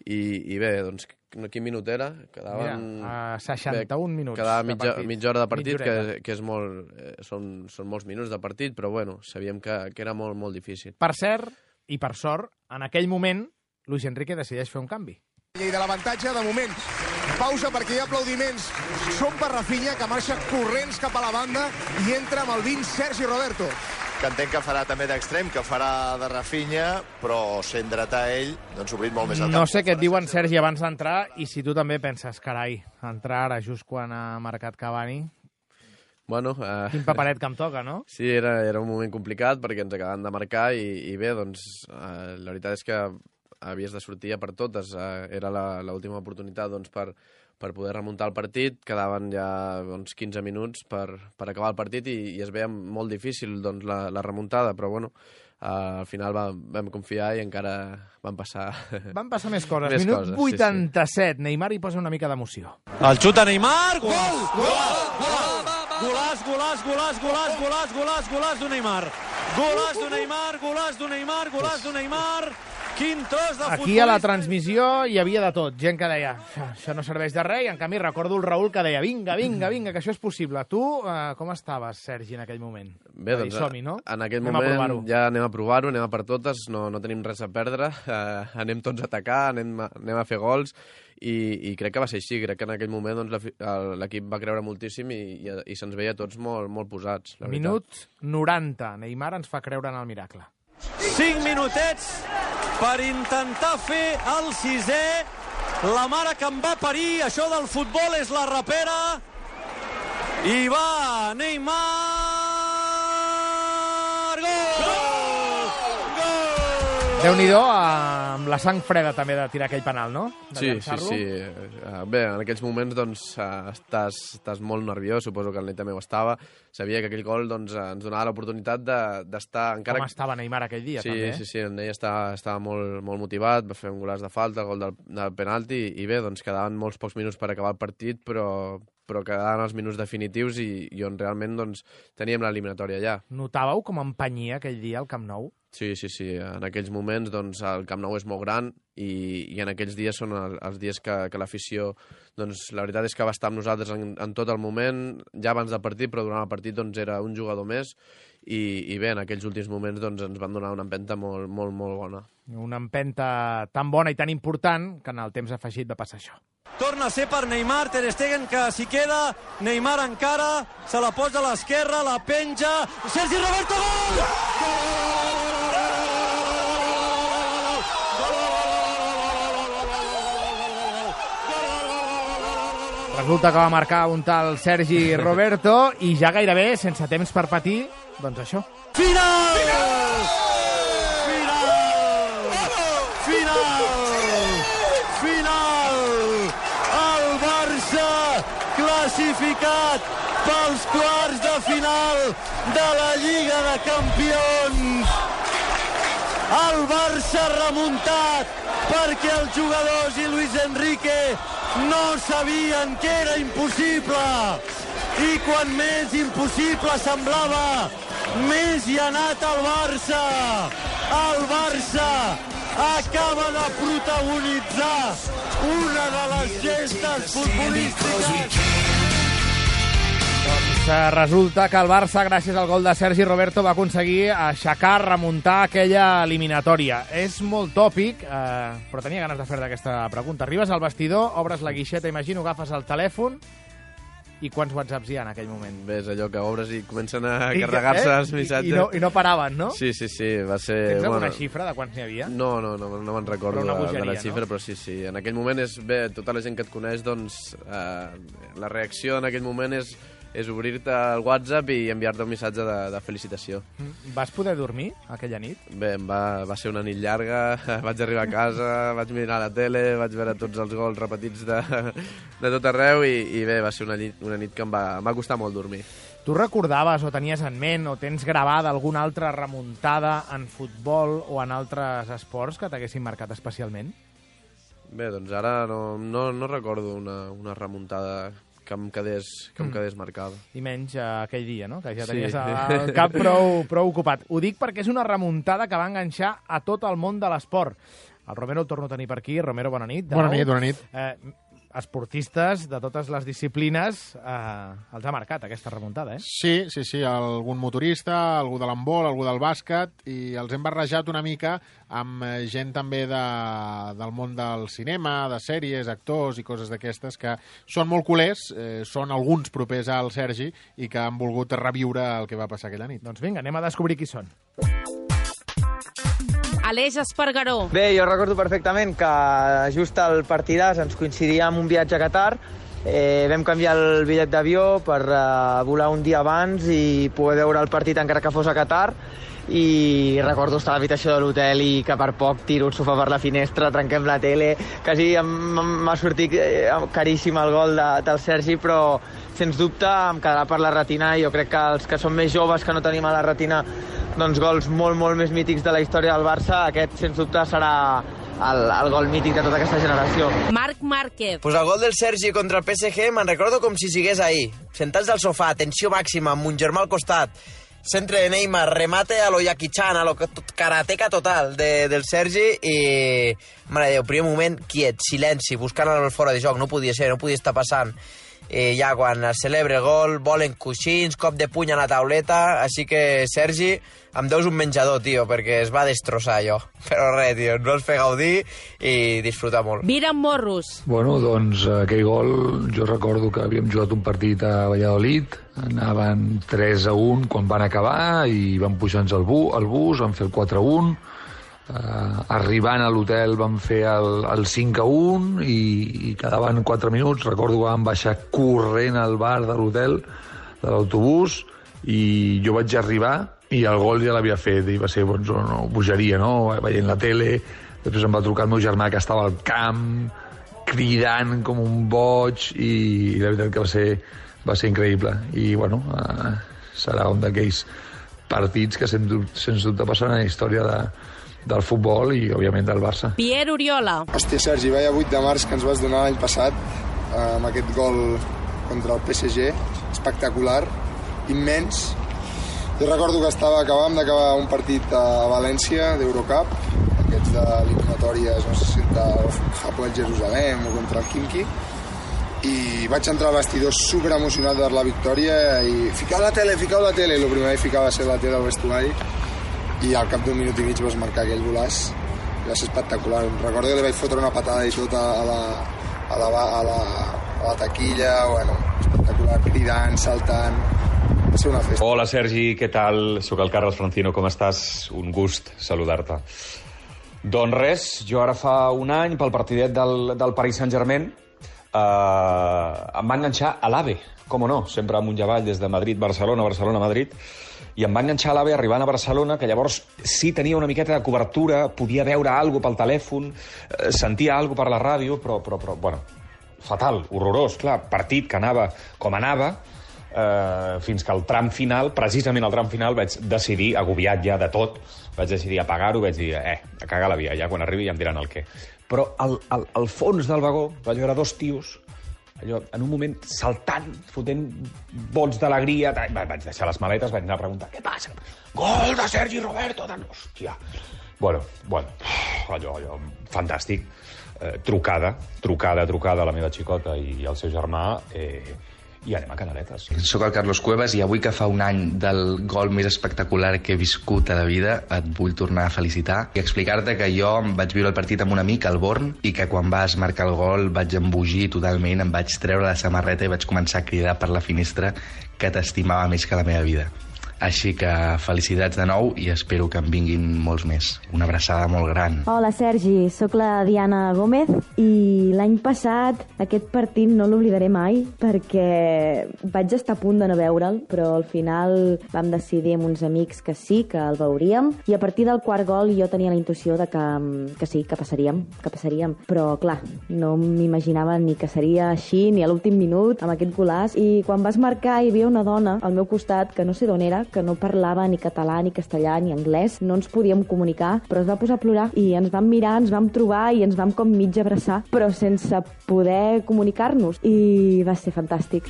S4: I bé, doncs, quin minut era?
S3: Quedaven... 61 minuts.
S4: Quedava mitja hora de partit, que és molt, són molts minuts de partit, però bueno, sabíem que era molt, molt difícil.
S3: Per cert, i per sort, en aquell moment, Luis Enrique decideix fer un canvi.
S6: I de l'avantatge, de moment, pausa perquè hi ha aplaudiments. Són per Rafinha, que marxa corrents cap a la banda i entra amb el 20 Sergi Roberto.
S20: que entenc que farà també d'extrem, que farà de Rafinha, però sent dretà ell, doncs obrint molt més el camp.
S3: No sé què et diuen, Sergi, abans d'entrar, i si tu també penses, carai, entrar ara just quan ha marcat Cavani...
S4: Bueno,
S3: Quin paperet que em toca, no?
S4: Sí, era un moment complicat perquè ens acabaven de marcar i bé, doncs, la veritat és que havies de sortir per totes. Era l'última oportunitat doncs, per poder remuntar el partit. Quedaven ja 15 minuts per acabar el partit i es veia molt difícil doncs, la remuntada, però bueno, al final vam confiar i encara van passar...
S3: Van passar més coses. Minut 87, Neymar hi posa una mica d'emoció.
S18: El xuta Neymar, gol! Golàs d'un Neymar. Golàs d'un Neymar. Quin tros de futbolista.
S3: Aquí a la transmissió hi havia de tot. Gent que deia, això no serveix de res, i en canvi recordo el Raül que deia, vinga, que això és possible. Tu, com estaves, Sergi, en aquell moment?
S4: Bé, doncs,
S3: no?
S4: En aquell moment ja anem a provar-ho, anem a per totes, no tenim res a perdre, anem tots a atacar, anem a fer gols, i crec que va ser així. Crec que en aquell moment doncs, l'equip va creure moltíssim i se'ns veia tots molt posats.
S3: Minut 90, Neymar ens fa creure en el miracle.
S18: 5 minutets per intentar fer el 6è. La mare que em va parir, això del futbol és la rapera. I va Neymar! Gol!
S3: Déu-n'hi-do, amb la sang freda també de tirar aquell penal, no?
S4: Sí. Bé, en aquells moments doncs, estàs molt nerviós, suposo que el Ney també ho estava. Sabia que aquell gol doncs, ens donava l'oportunitat d'estar... Encara...
S3: Com estava Neymar aquell dia, també?
S4: Sí, el Ney estava molt motivat, va fer un golaç de falta, el gol del penalti, i bé, doncs quedaven molts pocs minuts per acabar el partit, però quedaven els minuts definitius i on realment doncs, teníem l'eliminatòria ja.
S3: Notàveu com empenyia aquell dia al Camp Nou?
S4: Sí. En aquells moments doncs, el Camp Nou és molt gran i en aquells dies són els dies que l'afició, doncs, la veritat és que va estar amb nosaltres en tot el moment, ja abans del partit, però durant el partit doncs, era un jugador més i bé, en aquells últims moments doncs, ens van donar una empenta molt bona.
S3: Una empenta tan bona i tan important que en el temps afegit va passar això.
S18: Torna a ser per Neymar, Ter Stegen que s'hi queda, Neymar encara, se la posa a l'esquerra, la penja, Sergi Roberto, gol!
S3: Resulta que va marcar un tal Sergi Roberto i ja gairebé, sense temps per patir, doncs això.
S18: Final! El Barça classificat pels quarts de final de la Lliga de Campions. El Barça remuntat perquè els jugadors i Luis Enrique no sabien que era impossible. I quan més impossible semblava, més hi ha anat el Barça. El Barça acaba de protagonitzar una de les gestes futbolístiques.
S3: Resulta que el Barça, gràcies al gol de Sergi Roberto, va aconseguir aixecar, remuntar aquella eliminatòria. És molt tòpic, però tenia ganes de fer-te aquesta pregunta. Arribes al vestidor, obres la guixeta, imagino, agafes el telèfon, i quants whatsapps hi ha en aquell moment?
S4: Bé, és allò que obres i comencen a carregar-se els missatges.
S3: I no paraven, no?
S4: Sí, va ser...
S3: Tens alguna xifra de quants n'hi havia?
S4: No me'n recordo de la xifra, no? Però sí. En aquell moment és bé, tota la gent que et coneix, doncs, la reacció en aquell moment és obrir-te el WhatsApp i enviar-te un missatge de felicitació.
S3: Vas poder dormir aquella nit?
S4: Bé, va ser una nit llarga, vaig arribar a casa, vaig mirar la tele, vaig veure tots els gols repetits de tot arreu i bé, va ser una nit que em va costar molt dormir.
S3: Tu recordaves o tenies en ment o tens gravada alguna altra remuntada en futbol o en altres esports que t'haguessin marcat especialment?
S4: Bé, doncs ara no recordo una remuntada que em quedés marcada.
S3: I menys aquell dia, no? Que ja tenies el cap prou ocupat. Ho dic perquè és una remuntada que va enganxar a tot el món de l'esport. El Romero el torno a tenir per aquí. Romero, bona nit.
S7: Bona nit.
S3: esportistes de totes les disciplines els ha marcat aquesta remuntada,
S7: Sí, algun motorista, algú de l'handbol, algú del bàsquet, i els hem barrejat una mica amb gent també del món del cinema, de sèries, actors i coses d'aquestes que són molt culers, són alguns propers al Sergi i que han volgut reviure el que va passar aquella nit.
S3: Doncs vinga, anem a descobrir qui són.
S9: Aleix Espargaró.
S12: Bé, jo recordo perfectament que just al partidàs ens coincidia amb un viatge a Qatar. Vam canviar el bitllet d'avió per volar un dia abans i poder veure el partit encara que fos a Qatar. I recordo estar a l'habitació de l'hotel i que per poc tiro el sofà per la finestra, trenquem la tele, quasi m'ha sortit caríssim el gol del Sergi, però sens dubte em quedarà per la retina. Jo crec que els que són més joves, que no tenim a la retina doncs gols molt, molt més mítics de la història del Barça, aquest sens dubte serà el gol mític de tota aquesta generació.
S9: Marc Márquez.
S21: Pues el gol del Sergi contra el PSG me'n recordo com si sigués ahir. Sentats al sofà, tensió màxima, amb un germà al costat, centre de Neymar, remate a lo Jackie Chan, a lo karateca total del Sergi i, mare de Déu, primer moment, quiet, silenci, buscant el fora de joc, no podia ser, no podia estar passant. Ja quan es celebra el gol, volen coixins, cop de puny a la tauleta, així que, Sergi, em deus un menjador, tio, perquè es va destrossar allò. Però res, tio, no es fer gaudir i disfrutar molt.
S9: Viran Morros.
S22: Bueno, doncs aquell gol, jo recordo que havíem jugat un partit a Valladolid, anaven 3-1 quan van acabar i van pujar-nos al bus, van fer el 4-1, arribant a l'hotel vam fer el 5-1 i quedaven 4 minuts. Recordo que vam baixar corrent al bar de l'hotel, de l'autobús, i jo vaig arribar i el gol ja l'havia fet i va ser una bogeria, no? Veient la tele. Després em va trucar el meu germà que estava al camp cridant com un boig i la veritat que va ser increïble. I bueno, serà un d'aquells partits que sens dubte passaran a la història del futbol i, òbviament, del Barça.
S9: Pierre Oriola.
S23: Hòstia, Sergi, vaya 8 de març que ens vas donar l'any passat amb aquest gol contra el PSG. Espectacular, immens. Jo recordo que acabàvem d'acabar un partit a València, d'Eurocup, aquests d'eliminatòries, no sé si del Hapoel Jerusalem o contra el Khimki, i vaig entrar al vestidor superemocionat per la victòria i ficau la tele, el primer que ficava va ser la tele al vestuari i al cap d'un minut i mig vas marcar aquell golaç. Va ser espectacular. Recordo que li vaig fotre una patada i tot a la taquilla, bueno, espectacular, cridant, saltant. Va ser una festa.
S24: Hola, Sergi, què tal? Soc el Carles Francino, com estàs? Un gust saludar-te. Doncs res, jo ara fa un any, pel partidet del Paris Saint-Germain, em va enganxar a l'AVE, com no, sempre amunt i avall, des de Madrid, Barcelona, Madrid, i em va enganxar a l'AVE arribant a Barcelona, que llavors sí tenia una miqueta de cobertura, podia veure alguna cosa pel telèfon, sentia alguna cosa per la ràdio, però bueno, fatal, horrorós, clar, partit que anava com anava, fins que al tram final, precisament al tram final, vaig decidir, agobiat ja de tot, vaig decidir apagar-ho, vaig dir, a cagar la via, ja quan arribi ja em diran el què. Però al fons del vagó vaig veure dos tios, allò, en un moment saltant, fotent bots d'alegria, vaig deixar les maletes, vaig anar a preguntar, què passa? Gol de Sergi Roberto! Hòstia! Bueno, allò, fantàstic. Trucada a la meva xicota i al seu germà, i anem a Canaletes.
S25: Soc el Carlos Cuevas i avui que fa un any del gol més espectacular que he viscut a la vida et vull tornar a felicitar i explicar-te que jo em vaig viure el partit amb un amic, al Born, i que quan vas marcar el gol vaig embogir totalment, em vaig treure la samarreta i vaig començar a cridar per la finestra que t'estimava més que la meva vida. Així que felicitats de nou i espero que en vinguin molts més. Una abraçada molt gran.
S26: Hola, Sergi, sóc la Diana Gómez i l'any passat aquest partit no l'oblidaré mai perquè vaig estar a punt de no veure'l, però al final vam decidir amb uns amics que sí, que el veuríem, i a partir del quart gol jo tenia la intuïció de que sí, que passaríem. Però, clar, no m'imaginava ni que seria així, ni a l'últim minut, amb aquest golaç, i quan vas marcar hi havia una dona al meu costat, que no sé d'on era, que no parlava ni català, ni castellà, ni anglès, no ens podíem comunicar, però es va posar a plorar i ens vam mirar, ens vam trobar i ens vam com mig abraçar, però sense poder comunicar-nos, i va ser fantàstic.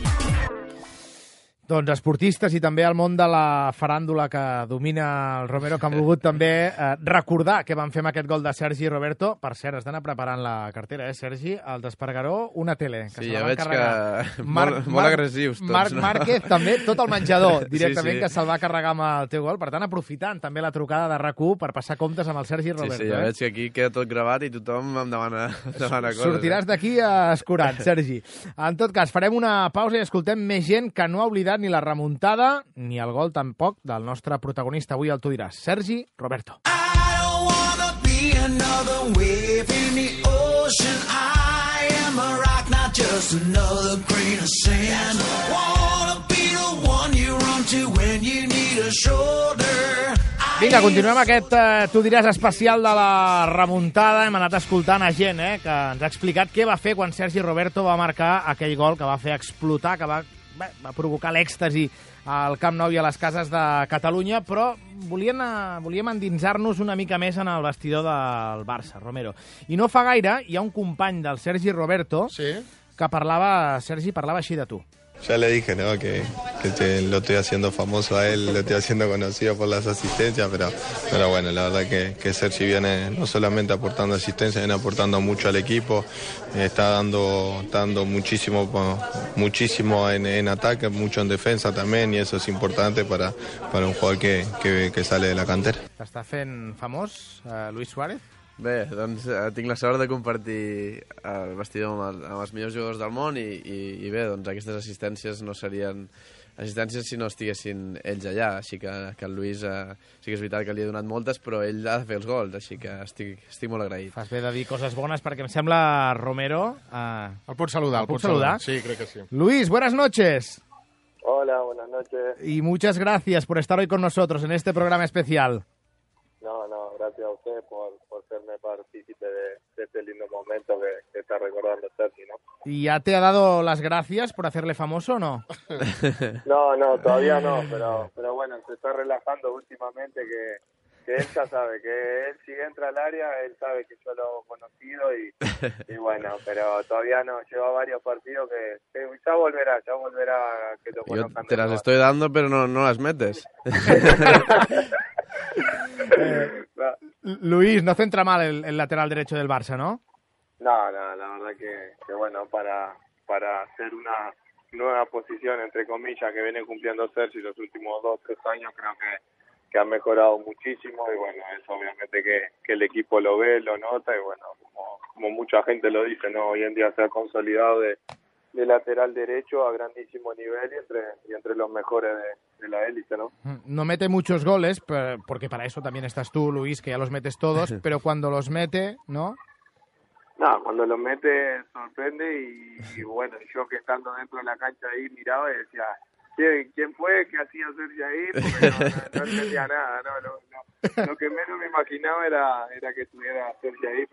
S3: Doncs esportistes i també el món de la faràndula que domina el Romero, que han volgut també recordar què van fer amb aquest gol de Sergi Roberto. Per cert, has d'anar preparant la cartera, Sergi? El d'Espargaró, una tele. Que
S4: sí, ja veig que molt agressius tots.
S3: Marc Márquez, també, tot el menjador, directament, que se'l va carregar amb el teu gol. Per tant, aprofitant també la trucada de RAC1 per passar comptes amb el Sergi Roberto.
S4: Sí, ja veig que aquí queda tot gravat i tothom em demana coses.
S3: Sortiràs d'aquí escurat, Sergi. En tot cas, farem una pausa i escoltem més gent que no ha oblidat ni la remuntada ni el gol tampoc del nostre protagonista avui, el tu diràs, Sergi Roberto. Vinga, continuem aquest tu diràs especial de la remuntada. Hem anat escoltant a gent que ens ha explicat què va fer quan Sergi Roberto va marcar aquell gol que va fer explotar, que va provocar l'èxtasi al Camp Nou i a les cases de Catalunya, però volíem endinsar-nos una mica més en el vestidor del Barça, Romero. I no fa gaire hi ha un company del Sergi Roberto que parlava així de tu.
S1: Ya le dije, ¿no? que lo estoy haciendo famoso a él, lo estoy haciendo conocido por las asistencias, pero bueno, la verdad que Sergi viene no solamente aportando asistencia, viene aportando mucho al equipo, está dando muchísimo en ataque, mucho en defensa también, y eso es importante para un jugador que sale de la cantera.
S3: T'està fent famós, Luis Suárez?
S4: Bé, doncs tinc la sort de compartir el vestidor amb els millors jugadors del món i bé, doncs aquestes assistències no serien assistències si no estiguessin ells allà, així que el Luis sí que és veritat que li he donat moltes, però ell ha de fer els gols, així que estic molt agraït.
S3: Fas bé de dir coses bones perquè em sembla, Romero...
S7: El pots saludar,
S3: ¿el puc saludar?
S7: Sí, crec que sí.
S3: Luis, buenas noches.
S10: Hola, buenas noches.
S3: Y muchas gracias por estar hoy con nosotros en este programa especial.
S10: No, gracias a usted por serme partícipe de este lindo momento que está recordando Sergi, ¿no?
S3: ¿Y ya te ha dado las gracias por hacerle famoso o no?
S10: No, todavía no, pero bueno, se está relajando últimamente que él ya sabe, que él si entra al área, él sabe que yo lo he conocido y bueno, pero todavía no, lleva varios partidos que ya volverá que lo conozcan.
S4: Yo te las estoy dando, pero no las metes.
S3: Luis, no centra mal el lateral derecho del Barça, ¿no?
S10: No, la verdad que bueno, para hacer una nueva posición, entre comillas, que viene cumpliendo Sergi los últimos 2-3 años, creo que ha mejorado muchísimo y bueno, eso obviamente que el equipo lo ve, lo nota y bueno, como mucha gente lo dice, ¿no? Hoy en día se ha consolidado de lateral derecho a grandísimo nivel y entre los mejores de la élite, ¿no?
S3: No mete muchos goles, porque para eso también estás tú, Luis, que ya los metes todos, pero cuando los mete, ¿no?
S10: No, cuando los mete sorprende y bueno, yo que estando dentro de la cancha ahí miraba y decía, ¿quién fue? ¿Qué hacía Sergi ahí? Porque no entendía nada, ¿no? Lo que menos me imaginaba era que estuviera Sergi ahí,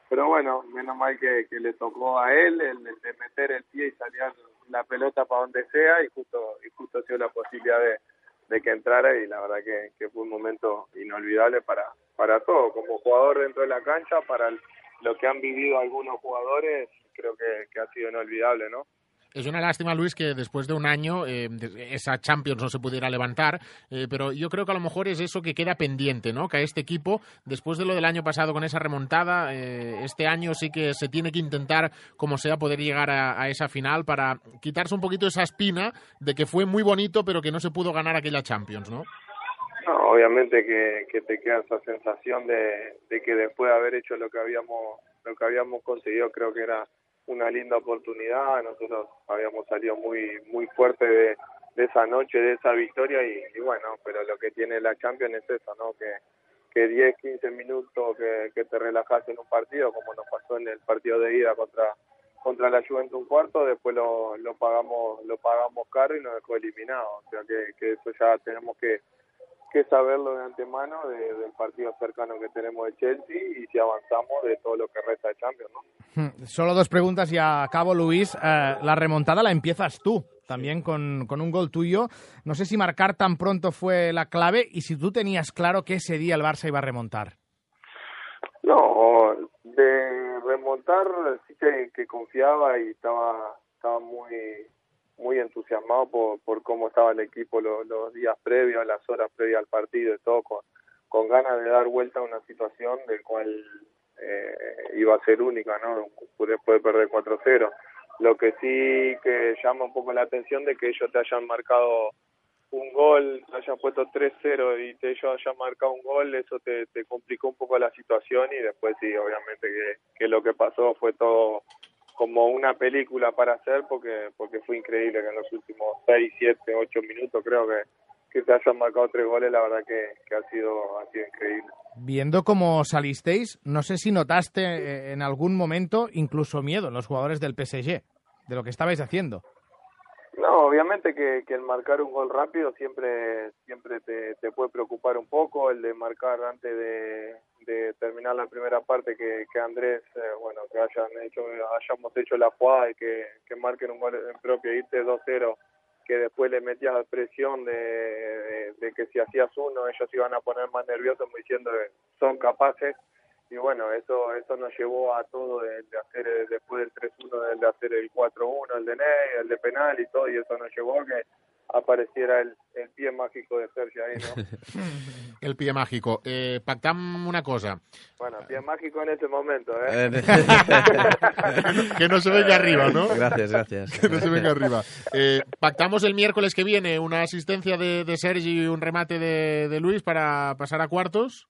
S10: pero bueno, menos mal que le tocó a él el de meter el pie y salir la pelota para donde sea y justo dio la posibilidad de que entrara y la verdad que fue un momento inolvidable para todo, como jugador dentro de la cancha, para lo que han vivido algunos jugadores, creo que ha sido inolvidable, ¿no?
S7: Es una lástima, Luis, que después de un año esa Champions no se pudiera levantar, pero yo creo que a lo mejor es eso que queda pendiente, ¿no? Que a este equipo, después de lo del año pasado con esa remontada, este año sí que se tiene que intentar, como sea, poder llegar a esa final para quitarse un poquito esa espina de que fue muy bonito, pero que no se pudo ganar aquella Champions, ¿no?
S10: No, obviamente que te queda esa sensación de que después de haber hecho lo que habíamos conseguido, creo que era una linda oportunidad. Nosotros habíamos salido muy fuerte de esa noche, de esa victoria y bueno, pero lo que tiene la Champions es eso, ¿no? Que 10, 15 minutos que te relajas en un partido, como nos pasó en el partido de ida contra la Juventus un cuarto, después lo pagamos caro y nos dejó eliminados. O sea que eso ya tenemos que saberlo de antemano del partido cercano que tenemos de Chelsea y si avanzamos de todo lo que resta de Champions, ¿no?
S3: Solo 2 preguntas y acabo, Luis. La remontada la empiezas tú, también con un gol tuyo. No sé si marcar tan pronto fue la clave y si tú tenías claro que ese día el Barça iba a remontar.
S10: No, de remontar sí que confiaba y estaba muy entusiasmado por cómo estaba el equipo los días previos, las horas previas al partido y todo, con ganas de dar vuelta a una situación del cual iba a ser única, ¿no? Después de perder 4-0. Lo que sí que llama un poco la atención de que ellos te hayan marcado un gol, te hayan puesto 3-0 y ellos hayan marcado un gol, eso te complicó un poco la situación y después sí, obviamente que lo que pasó fue todo como una película para hacer porque fue increíble que en los últimos 6, 7, 8 minutos creo que se hayan marcado 3 goles, la verdad que ha sido increíble.
S3: Viendo cómo salisteis, no sé si notaste en algún momento incluso miedo en los jugadores del PSG, de lo que estabais haciendo.
S10: No, obviamente que el marcar un gol rápido siempre te puede preocupar un poco, el de marcar antes de terminar la primera parte, que Andrés, que hayamos hecho la jugada y que marquen un gol en propio, irte 2-0, que después le metías presión de que si hacías uno ellos iban a poner más nerviosos diciendo que son capaces. Y bueno, eso nos llevó a todo de hacer después del 3-1, de hacer el 4-1, el de Ney, el de penal y todo, y eso nos llevó a que apareciera el pie mágico de Sergi ahí, ¿no?
S7: El pie mágico. Pactam una cosa.
S10: Bueno, pie mágico en ese momento, ¿eh?
S7: Que no se venga arriba, ¿no?
S4: Gracias.
S7: Que no se venga arriba. Pactamos el miércoles que viene una asistencia de Sergi y un remate de Luis para pasar a cuartos.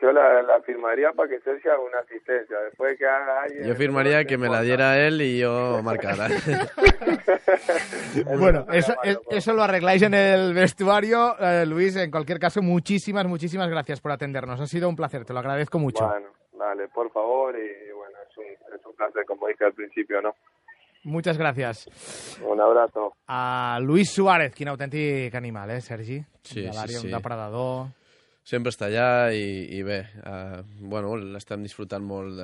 S10: Yo la firmaría para que Sergio haga una asistencia. Después que haga alguien...
S4: Yo firmaría que me la diera él y yo marcara.
S3: Bueno, eso lo arregláis en el vestuario. Luis, en cualquier caso, muchísimas gracias por atendernos. Ha sido un placer, te lo agradezco mucho.
S10: Bueno, dale, por favor. Y bueno, es un placer, como dije al principio, ¿no?
S3: Muchas gracias.
S10: Un abrazo.
S3: A Luis Suárez, quin autèntic animal, Sergi?
S4: Sí.
S3: Un depredador...
S4: Sempre està allà i bé, l'estem disfrutant molt.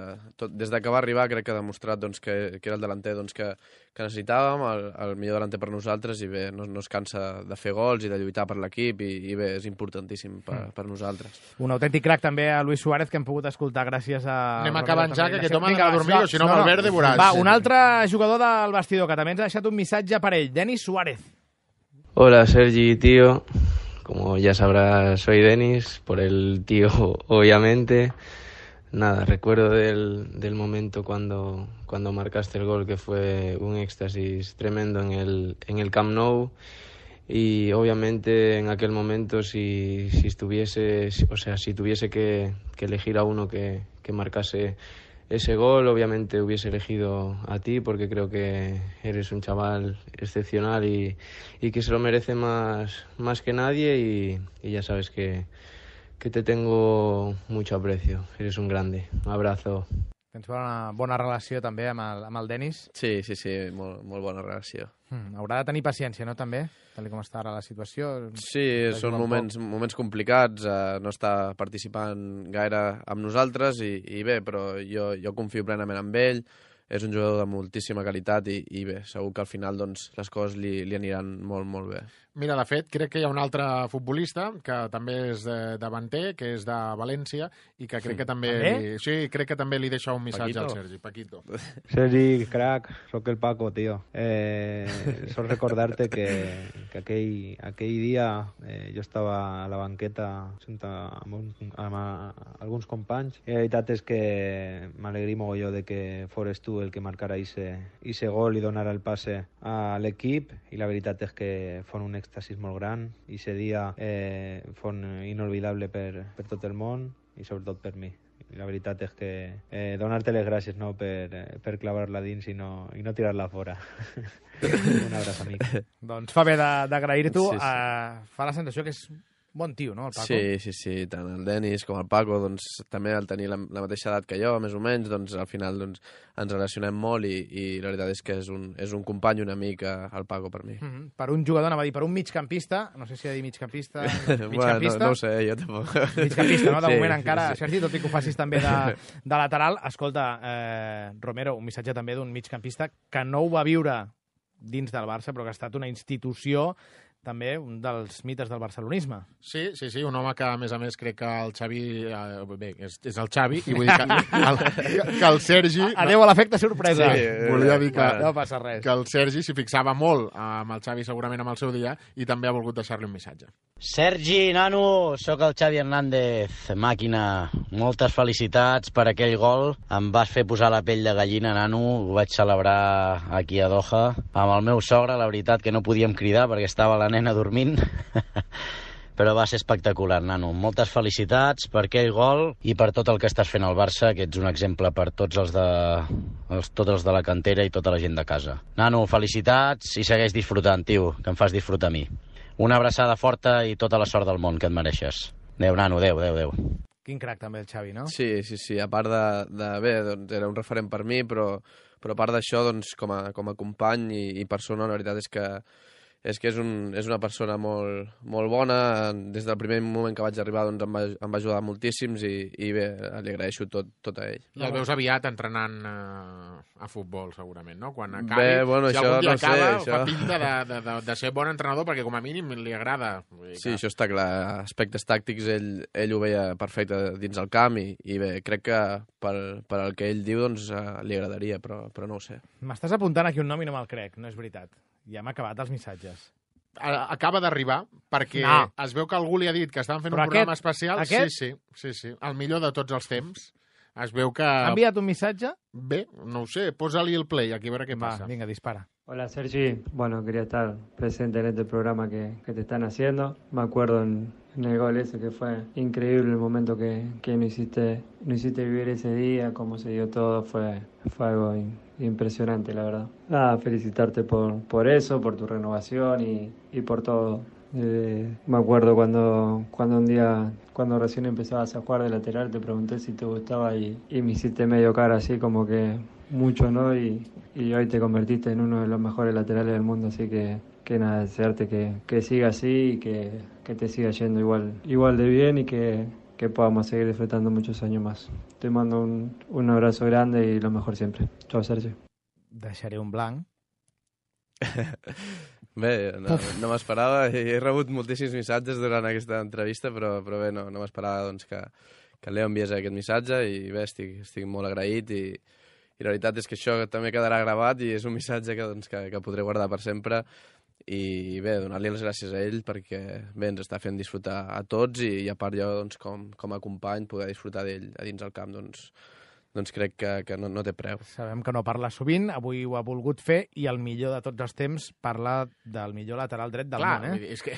S4: Des que va arribar crec que ha demostrat que era el delanter que necessitàvem, el millor delanter per nosaltres, i bé, no es cansa de fer gols i de lluitar per l'equip, i bé, és importantíssim per nosaltres.
S3: Un autèntic crac també a Luis Suárez, que hem pogut escoltar gràcies a...
S7: Anem acabant ja, que aquest home ha de dormir, o si no, Valverde veuràs.
S3: Va, un altre jugador del vestidor que també ens ha deixat un missatge per ell, Denis Suárez.
S5: Hola, Sergi, tío. Como ya sabrás, soy Denis, por el tío, obviamente. Nada, recuerdo del momento cuando marcaste el gol, que fue un éxtasis tremendo en el Camp Nou. Y obviamente en aquel momento, si tuviese que elegir a uno que marcase ese gol, obviamente hubiese elegido a ti, porque creo que eres un chaval excepcional y que se lo merece más que nadie, y ya sabes que te tengo mucho aprecio. Eres un grande. Un abrazo.
S3: Tens una bona relació també amb el Denis?
S4: Sí, molt bona relació.
S3: Haurà de tenir paciència, no, també? Tal com està ara la situació.
S4: Sí, són moments complicats, no està participant gaire amb nosaltres i bé, però jo confio plenament en ell, és un jugador de moltíssima qualitat i bé, segur que al final les coses li aniran molt, molt bé.
S7: Mira, de fet, crec que hi ha un altre futbolista que també és davanter, que és de València, i que crec que també... Sí, crec que també li deixa un missatge al Sergi. Paquito.
S11: Sergi, crac, soc el Paco, tío. Solo recordarte que aquell dia jo estava a la banqueta amb alguns companys, i la veritat és que m'alegrí mogolló de que fores tu el que marcara ese gol i donara el passe a l'equip, i la veritat és que fon un èxtasis molt gran, i ese dia fon inolvidable per tot el món i sobretot per mi. I la veritat és que donar-te les gràcies, no, per clavar-la dins i no tirar-la fora. Un abraç, amic.
S3: Doncs fa bé d'agrair-t'ho. Fa la sensació que és bon tio, no, el Paco?
S4: Sí, tant el Denis com el Paco, doncs també al tenir la mateixa edat que jo, més o menys, doncs al final ens relacionem molt i la veritat és que és un company, un amic, el Paco, per mi.
S3: Per un jugador, anava a dir, per un migcampista, no sé si ha de dir migcampista...
S4: No ho sé, jo tampoc.
S3: Migcampista, no? De moment encara, Sergi, tot i que ho facis també de lateral. Escolta, Romero, un missatge també d'un migcampista que no ho va viure dins del Barça, però que ha estat una institució també un dels mites del barcelonisme.
S7: Sí, un home que, a més, crec que el Xavi... Bé, és el Xavi, i vull dir que el Sergi...
S3: Adéu a l'efecte sorpresa.
S7: Sí, volia dir que,
S3: no passa res.
S7: Que el Sergi s'hi fixava molt amb el Xavi, segurament amb el seu dia, i també ha volgut deixar-li un missatge.
S8: Sergi, nano, sóc el Xavi Hernández, màquina. Moltes felicitats per aquell gol. Em vas fer posar la pell de gallina, nano. Ho vaig celebrar aquí a Doha. Amb el meu sogre, la veritat que no podíem cridar perquè estava la nena dormint. Però va ser espectacular, nano. Moltes felicitats per aquell gol i per tot el que estàs fent al Barça, que ets un exemple per tots els de la cantera i tota la gent de casa. Nano, felicitats i segueix disfrutant, tio, que em fas disfrutar a mi. Una abraçada forta i tota la sort del món que et mereixes. Adéu, nano, adéu.
S3: Quin crac també el Xavi, no?
S4: Sí, a part de bé, doncs era un referent per mi, però a part d'això, doncs, com a company i persona, la veritat és que és una persona molt bona. Des del primer moment que vaig arribar doncs, em va ajudar moltíssims i bé, li agraeixo tot a ell.
S7: I el veus aviat entrenant a futbol, segurament, no? Quan acabi,
S4: bé, bueno,
S7: si algun dia acaba,
S4: això...
S7: fa pinta de ser bon entrenador, perquè com a mínim li agrada.
S4: Sí, això està clar. Aspectes tàctics ell ho veia perfecte dins el camp i bé, crec que per al que ell diu doncs, li agradaria, però no ho sé.
S3: M'estàs apuntant aquí un nom i no me'l crec, no és veritat. Ja hem acabat els missatges.
S7: Acaba d'arribar, perquè es veu que algú li ha dit que estaven fent un programa especial. Sí. El millor de tots els temps. Es veu que...
S3: ¿Ha enviat un missatge?
S7: Bé, no ho sé, posa-li el play, aquí a veure què passa.
S3: Vinga, dispara.
S13: Hola Sergi, bueno, quería estar presente en este programa que te están haciendo. Me acuerdo en el gol ese que fue increíble el momento que no hiciste vivir ese día, cómo se dio todo, fue algo impresionante, la verdad. Nada, felicitarte por eso, por tu renovación y por todo. Me acuerdo cuando un día, cuando recién empezabas a jugar de lateral, te pregunté si te gustaba y me hiciste medio cara así como que mucho, ¿no? Y hoy te convertiste en uno de los mejores laterales del mundo, así que nada, desearte que siga así y que te siga yendo igual de bien y que podamos seguir disfrutando muchos años más. Te mando un abrazo grande y lo mejor siempre. Chao, Sergio.
S3: Deixaré un blanc.
S4: Bé, no m'esperava. He rebut moltíssims missatges durant aquesta entrevista, però bé, no m'esperava doncs, que el Leo enviés aquest missatge i bé, estic molt agraït i la veritat és que això també quedarà gravat i és un missatge que podré guardar per sempre i bé, donar-li les gràcies a ell perquè bé, ens està fent disfrutar a tots i a part jo doncs, com a company poder disfrutar d'ell a dins el camp doncs crec que no té preu.
S3: Sabem que no parla sovint, avui ho ha volgut fer i el millor de tots els temps parla del millor lateral dret del món.
S7: És que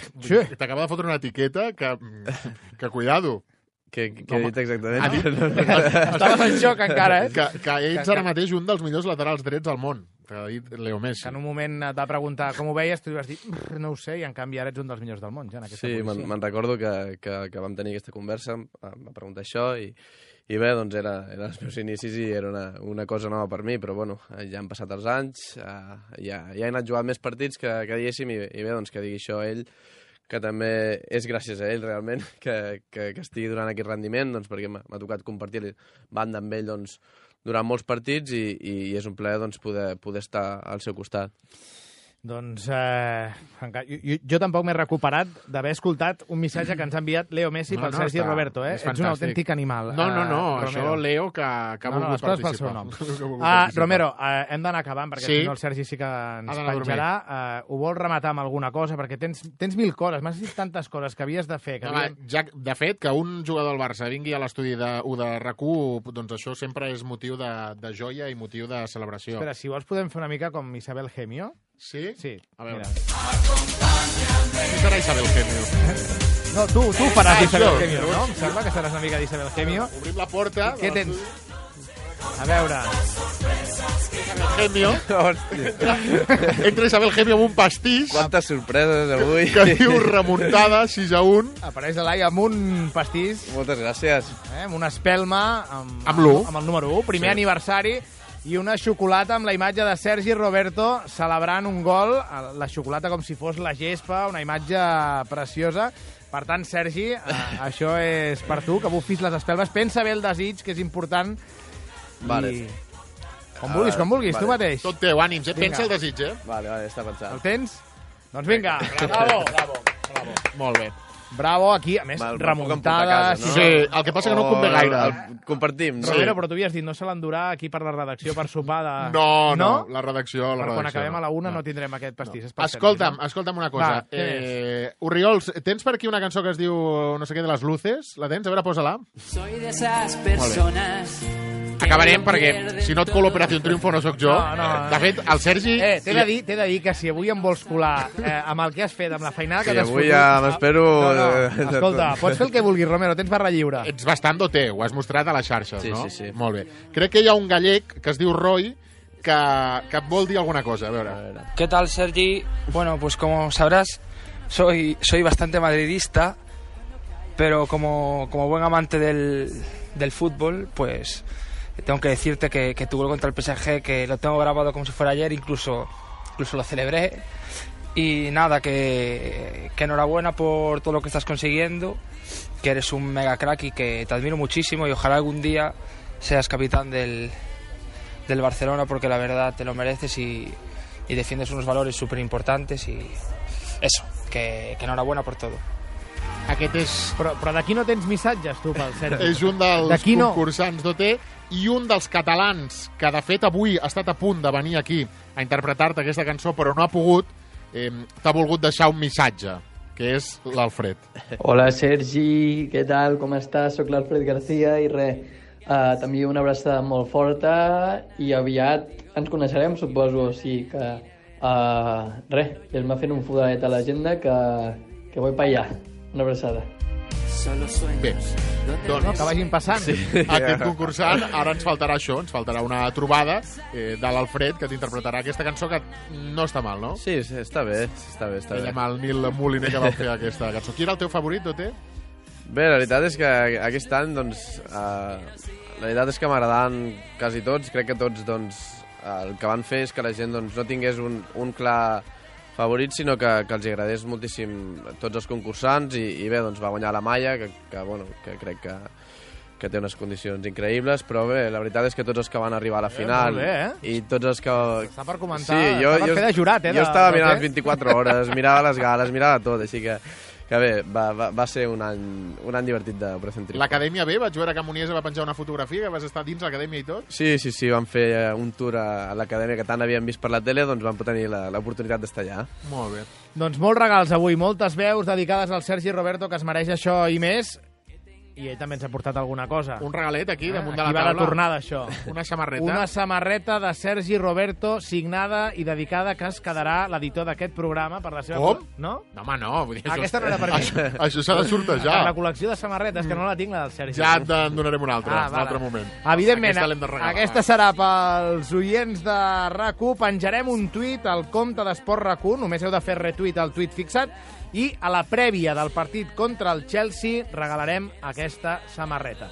S7: t'acaba de fotre una etiqueta que cuidado.
S4: Què he dit exactament?
S3: Estaves en xoc encara,
S7: Que ets ara mateix un dels millors laterals drets del món, que ha dit Leo Messi.
S3: Que en un moment et va preguntar com ho veies, tu vas dir, no ho sé, i en canvi ara ets un dels millors del món. Ja, en
S4: sí, me'n recordo que vam tenir aquesta conversa, em va preguntar això i bé, doncs eren els meus inicis i era una cosa nova per mi, però bueno, ja han passat els anys, ja he anat jugant més partits que diguéssim i bé, doncs que digui això ell, que també és gràcies a ell realment que estigui donant aquest rendiment, doncs perquè m'ha tocat compartir banda amb ell doncs, durant molts partits i és un plaer doncs, poder estar al seu costat.
S3: Doncs jo tampoc m'he recuperat d'haver escoltat un missatge que ens ha enviat Leo Messi pel Sergi Roberto. Ets un autèntic animal.
S7: No, això Leo que ha volgut participar.
S3: Romero, hem d'anar acabant perquè si no el Sergi sí que ens penjarà. Ho vols rematar amb alguna cosa? Perquè tens mil coses, m'has dit tantes coses que havies de fer.
S7: De fet, que un jugador del Barça vingui a l'estudi de RAC1, doncs això sempre és motiu de joia i motiu de celebració.
S3: Espera, si vols podem fer una mica com Isabel Gemio.
S7: Sí?
S3: Sí.
S7: A veure. Qui serà Isabel Gemio?
S3: No, tu faràs Isabel Gemio, no? Em sembla que seràs una mica d'Isabel Gemio.
S7: Obrim la porta.
S3: Què tens? A veure.
S7: Isabel Gemio. Entra Isabel Gemio amb un pastís.
S4: Quantes sorpreses avui.
S7: Que diu remuntada, 6-1.
S3: Apareix l'Elai amb un pastís.
S4: Moltes gràcies.
S3: Amb una espelma.
S7: Amb l'1.
S3: Amb el número 1. Primer aniversari. I una xocolata amb la imatge de Sergi Roberto celebrant un gol, la xocolata com si fos la gespa, una imatge preciosa. Per tant, Sergi, això és per tu, que bufis les espelmes. Pensa bé el desig, que és important.
S4: Vale.
S3: Com vulguis, tu mateix.
S7: Tot teu, ànims, pensa el desig,
S4: Vale, està pensat.
S3: El tens? Doncs vinga, bravo.
S7: Molt bé.
S3: Bravo, aquí, a més, remuntada...
S7: No? Sí, el que passa que no convé gaire.
S4: Compartim.
S3: Romero, però tu havies dit, no se l'endurà aquí per la redacció per sopar de...
S7: No, la redacció...
S3: Quan acabem a la 1 no tindrem aquest pastís.
S7: Escolta'm una cosa. Oriols, tens per aquí una cançó que es diu no sé què de les luces? La tens? A veure, posa-la.
S2: Soy de esas personas...
S7: Acabarem perquè, si no et colo Operació Triunfo, no sóc jo. De fet, el Sergi...
S3: T'he de dir que si avui em vols colar amb el que has fet, amb la feinada que t'has fotut...
S4: Sí, avui ja m'espero...
S3: Escolta, pots fer el que vulguis, Romero, tens barra lliure.
S7: Ets bastant doté, ho has mostrat a les xarxes, no?
S4: Sí.
S7: Molt bé. Crec que hi ha un gallec que es diu Roy que et vol dir alguna cosa, a veure.
S14: ¿Qué tal, Sergi? Bueno, pues como sabrás, soy bastante madridista, pero como buen amante del fútbol, pues... Tengo que decirte que tu gol contra el PSG, que lo tengo grabado como si fuera ayer, incluso lo celebré. Y nada, que enhorabuena por todo lo que estás consiguiendo, que eres un mega crack y que te admiro muchísimo y ojalá algún día seas capitán del Barcelona, porque la verdad te lo mereces y defiendes unos valores súper importantes y eso, que enhorabuena por todo.
S3: Aquest és... Però d'aquí no tens missatges, tu, pel Sergi.
S7: És un dels concursants d'OT i un dels catalans que, de fet, avui ha estat a punt de venir aquí a interpretar-te aquesta cançó, però no ha pogut, t'ha volgut deixar un missatge, que és l'Alfred.
S15: Hola, Sergi, què tal? Com estàs? Soc l'Alfred García i res, t'envio una abraçada molt forta i aviat ens coneixerem, suposo, o sigui que... res, ves-me fent un fodadet a l'agenda que voy para allá. Una abraçada.
S7: Bé, doncs...
S3: No, que vagin passant.
S7: Sí. Aquest concursant, ara ens faltarà això, ens faltarà una trobada de l'Alfred que t'interpretarà aquesta cançó que no està mal, no?
S4: Sí, està bé.
S7: Ell amb el Nil Moliner que va fer aquesta cançó. Qui era el teu favorit, Doté?
S4: Bé, la veritat és que aquest any, doncs, la veritat és que m'agradaven quasi tots. Crec que tots, doncs, el que van fer és que la gent doncs, no tingués un clar favorit, sinó que els agradés moltíssim tots els concursants i bé, doncs va guanyar la Maia, que crec que té unes condicions increïbles, però bé, la veritat és que tots els que van arribar a la final
S3: molt bé,
S4: i tots els que...
S3: Està per comentar,
S4: sí,
S3: està per fer de jurat,
S4: Jo estava mirant les 24 hores, mirava les gales, mirava tot, així que bé, va ser un any divertit d'Operació Triunfo.
S7: L'Acadèmia B, vaig veure que Muniesa va penjar una fotografia, que vas estar dins l'Acadèmia i tot.
S4: Sí, vam fer un tour a l'Acadèmia que tant havíem vist per la tele, doncs vam tenir l'oportunitat d'estar allà.
S7: Molt bé.
S3: Doncs molts regals avui, moltes veus dedicades al Sergi Roberto, que es mereix això i més. I ell també ens ha portat alguna cosa.
S7: Un regalet aquí, damunt de la
S3: taula. Aquí va la tornada, això.
S7: Una samarreta.
S3: Una samarreta de Sergi Roberto, signada i dedicada, que es quedarà l'editor d'aquest programa per la seva...
S7: Com?
S3: No?
S7: No, home, no. Vull dir,
S3: aquesta no era per mi.
S7: Això s'ha de sortejar.
S3: Per la col·lecció de samarretes, que no la tinc, la del Sergi.
S7: Ja te'n donarem una altra, un altre moment.
S3: Evidentment, aquesta serà pels oients de RAC1. Penjarem un tuit al compte d'Esport RAC1, només heu de fer retuit al tuit fixat, i a la prèvia del partit contra el Chelsea regalarem aquesta samarreta.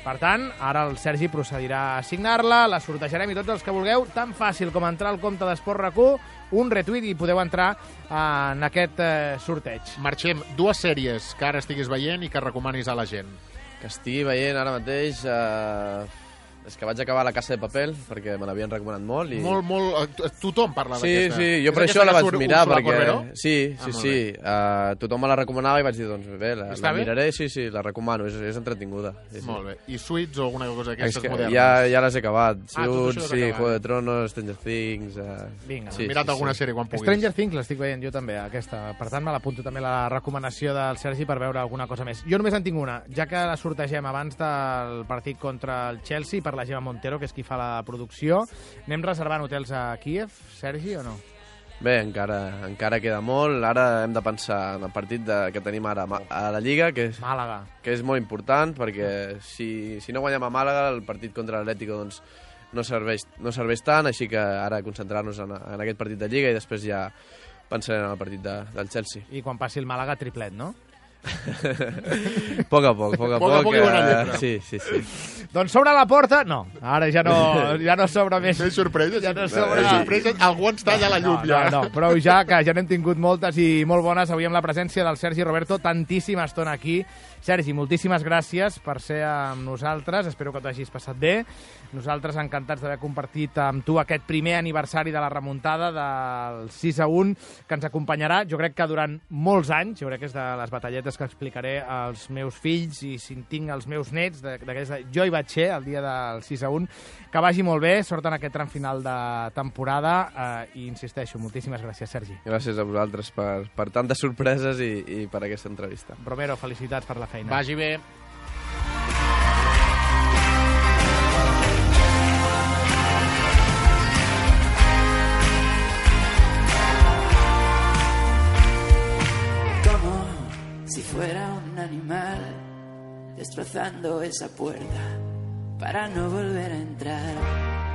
S3: Per tant, ara el Sergi procedirà a signar-la, la sortejarem i tots els que vulgueu, tan fàcil com entrar al compte d'Esport RAC1, un retuit i podeu entrar en aquest sorteig.
S7: Marxem. 2 sèries que ara estiguis veient i que recomanis a la gent.
S4: Que estigui veient ara mateix... És que vaig acabar La Casa de Papel, perquè me l'havien recomanat molt. I...
S7: Molt. Tothom parla d'aquesta.
S4: Sí, jo per això la vaig mirar, perquè... Sí. Tothom me la recomanava i vaig dir, doncs bé, la miraré. Sí, la recomano, és entretinguda. Sí.
S7: Molt bé. I Suits o alguna cosa d'aquestes modernes?
S4: Ja les he acabat. Suits, sí, Juego de Tronos, Stranger Things...
S3: Vinga.
S7: Mira't alguna sèrie quan puguis.
S3: Stranger Things l'estic veient jo també, aquesta. Per tant, me l'apunto també la recomanació del Sergi per veure alguna cosa més. Jo només en tinc una, ja que la sortegem abans del partit contra el Chelsea, per la Gemma Montero, que és qui fa la producció. Anem reservant hotels a Kíev, Sergi, o no?
S4: Bé, encara queda molt. Ara hem de pensar en el partit que tenim ara a la Lliga, que és
S3: Màlaga,
S4: que és molt important, perquè si no guanyem a Màlaga, el partit contra l'Atlético doncs, no serveix tant, així que ara concentrar-nos en aquest partit de Lliga i després ja pensarem en el partit del Chelsea.
S3: I quan passi el Màlaga, triplet, no?
S4: Poc a poc. Sí.
S3: Doncs s'obre la porta? No, ara ja no s'obre més.
S7: Més sorpreses? Ja no s'obre. Algú ens talla la llum, ja.
S3: No, però ja que ja n'hem tingut moltes i molt bones avui amb la presència del Sergi Roberto, tantíssima estona aquí, Sergi, moltíssimes gràcies per ser amb nosaltres, espero que t'ho hagis passat bé. Nosaltres encantats d'haver compartit amb tu aquest primer aniversari de la remuntada del 6-1, que ens acompanyarà, jo crec que durant molts anys, jo crec que és de les batalletes que explicaré als meus fills i si en tinc els meus nets, jo hi vaig ser el dia del 6-1. Que vagi molt bé, sort en aquest tram final de temporada i insisteixo, moltíssimes gràcies, Sergi.
S4: Gràcies a vosaltres per tantes sorpreses i per aquesta entrevista.
S3: Romero, felicitats per la feina.
S7: Vagi bé.
S2: Si fuera un animal destrozando esa puerta para no volver a entrar.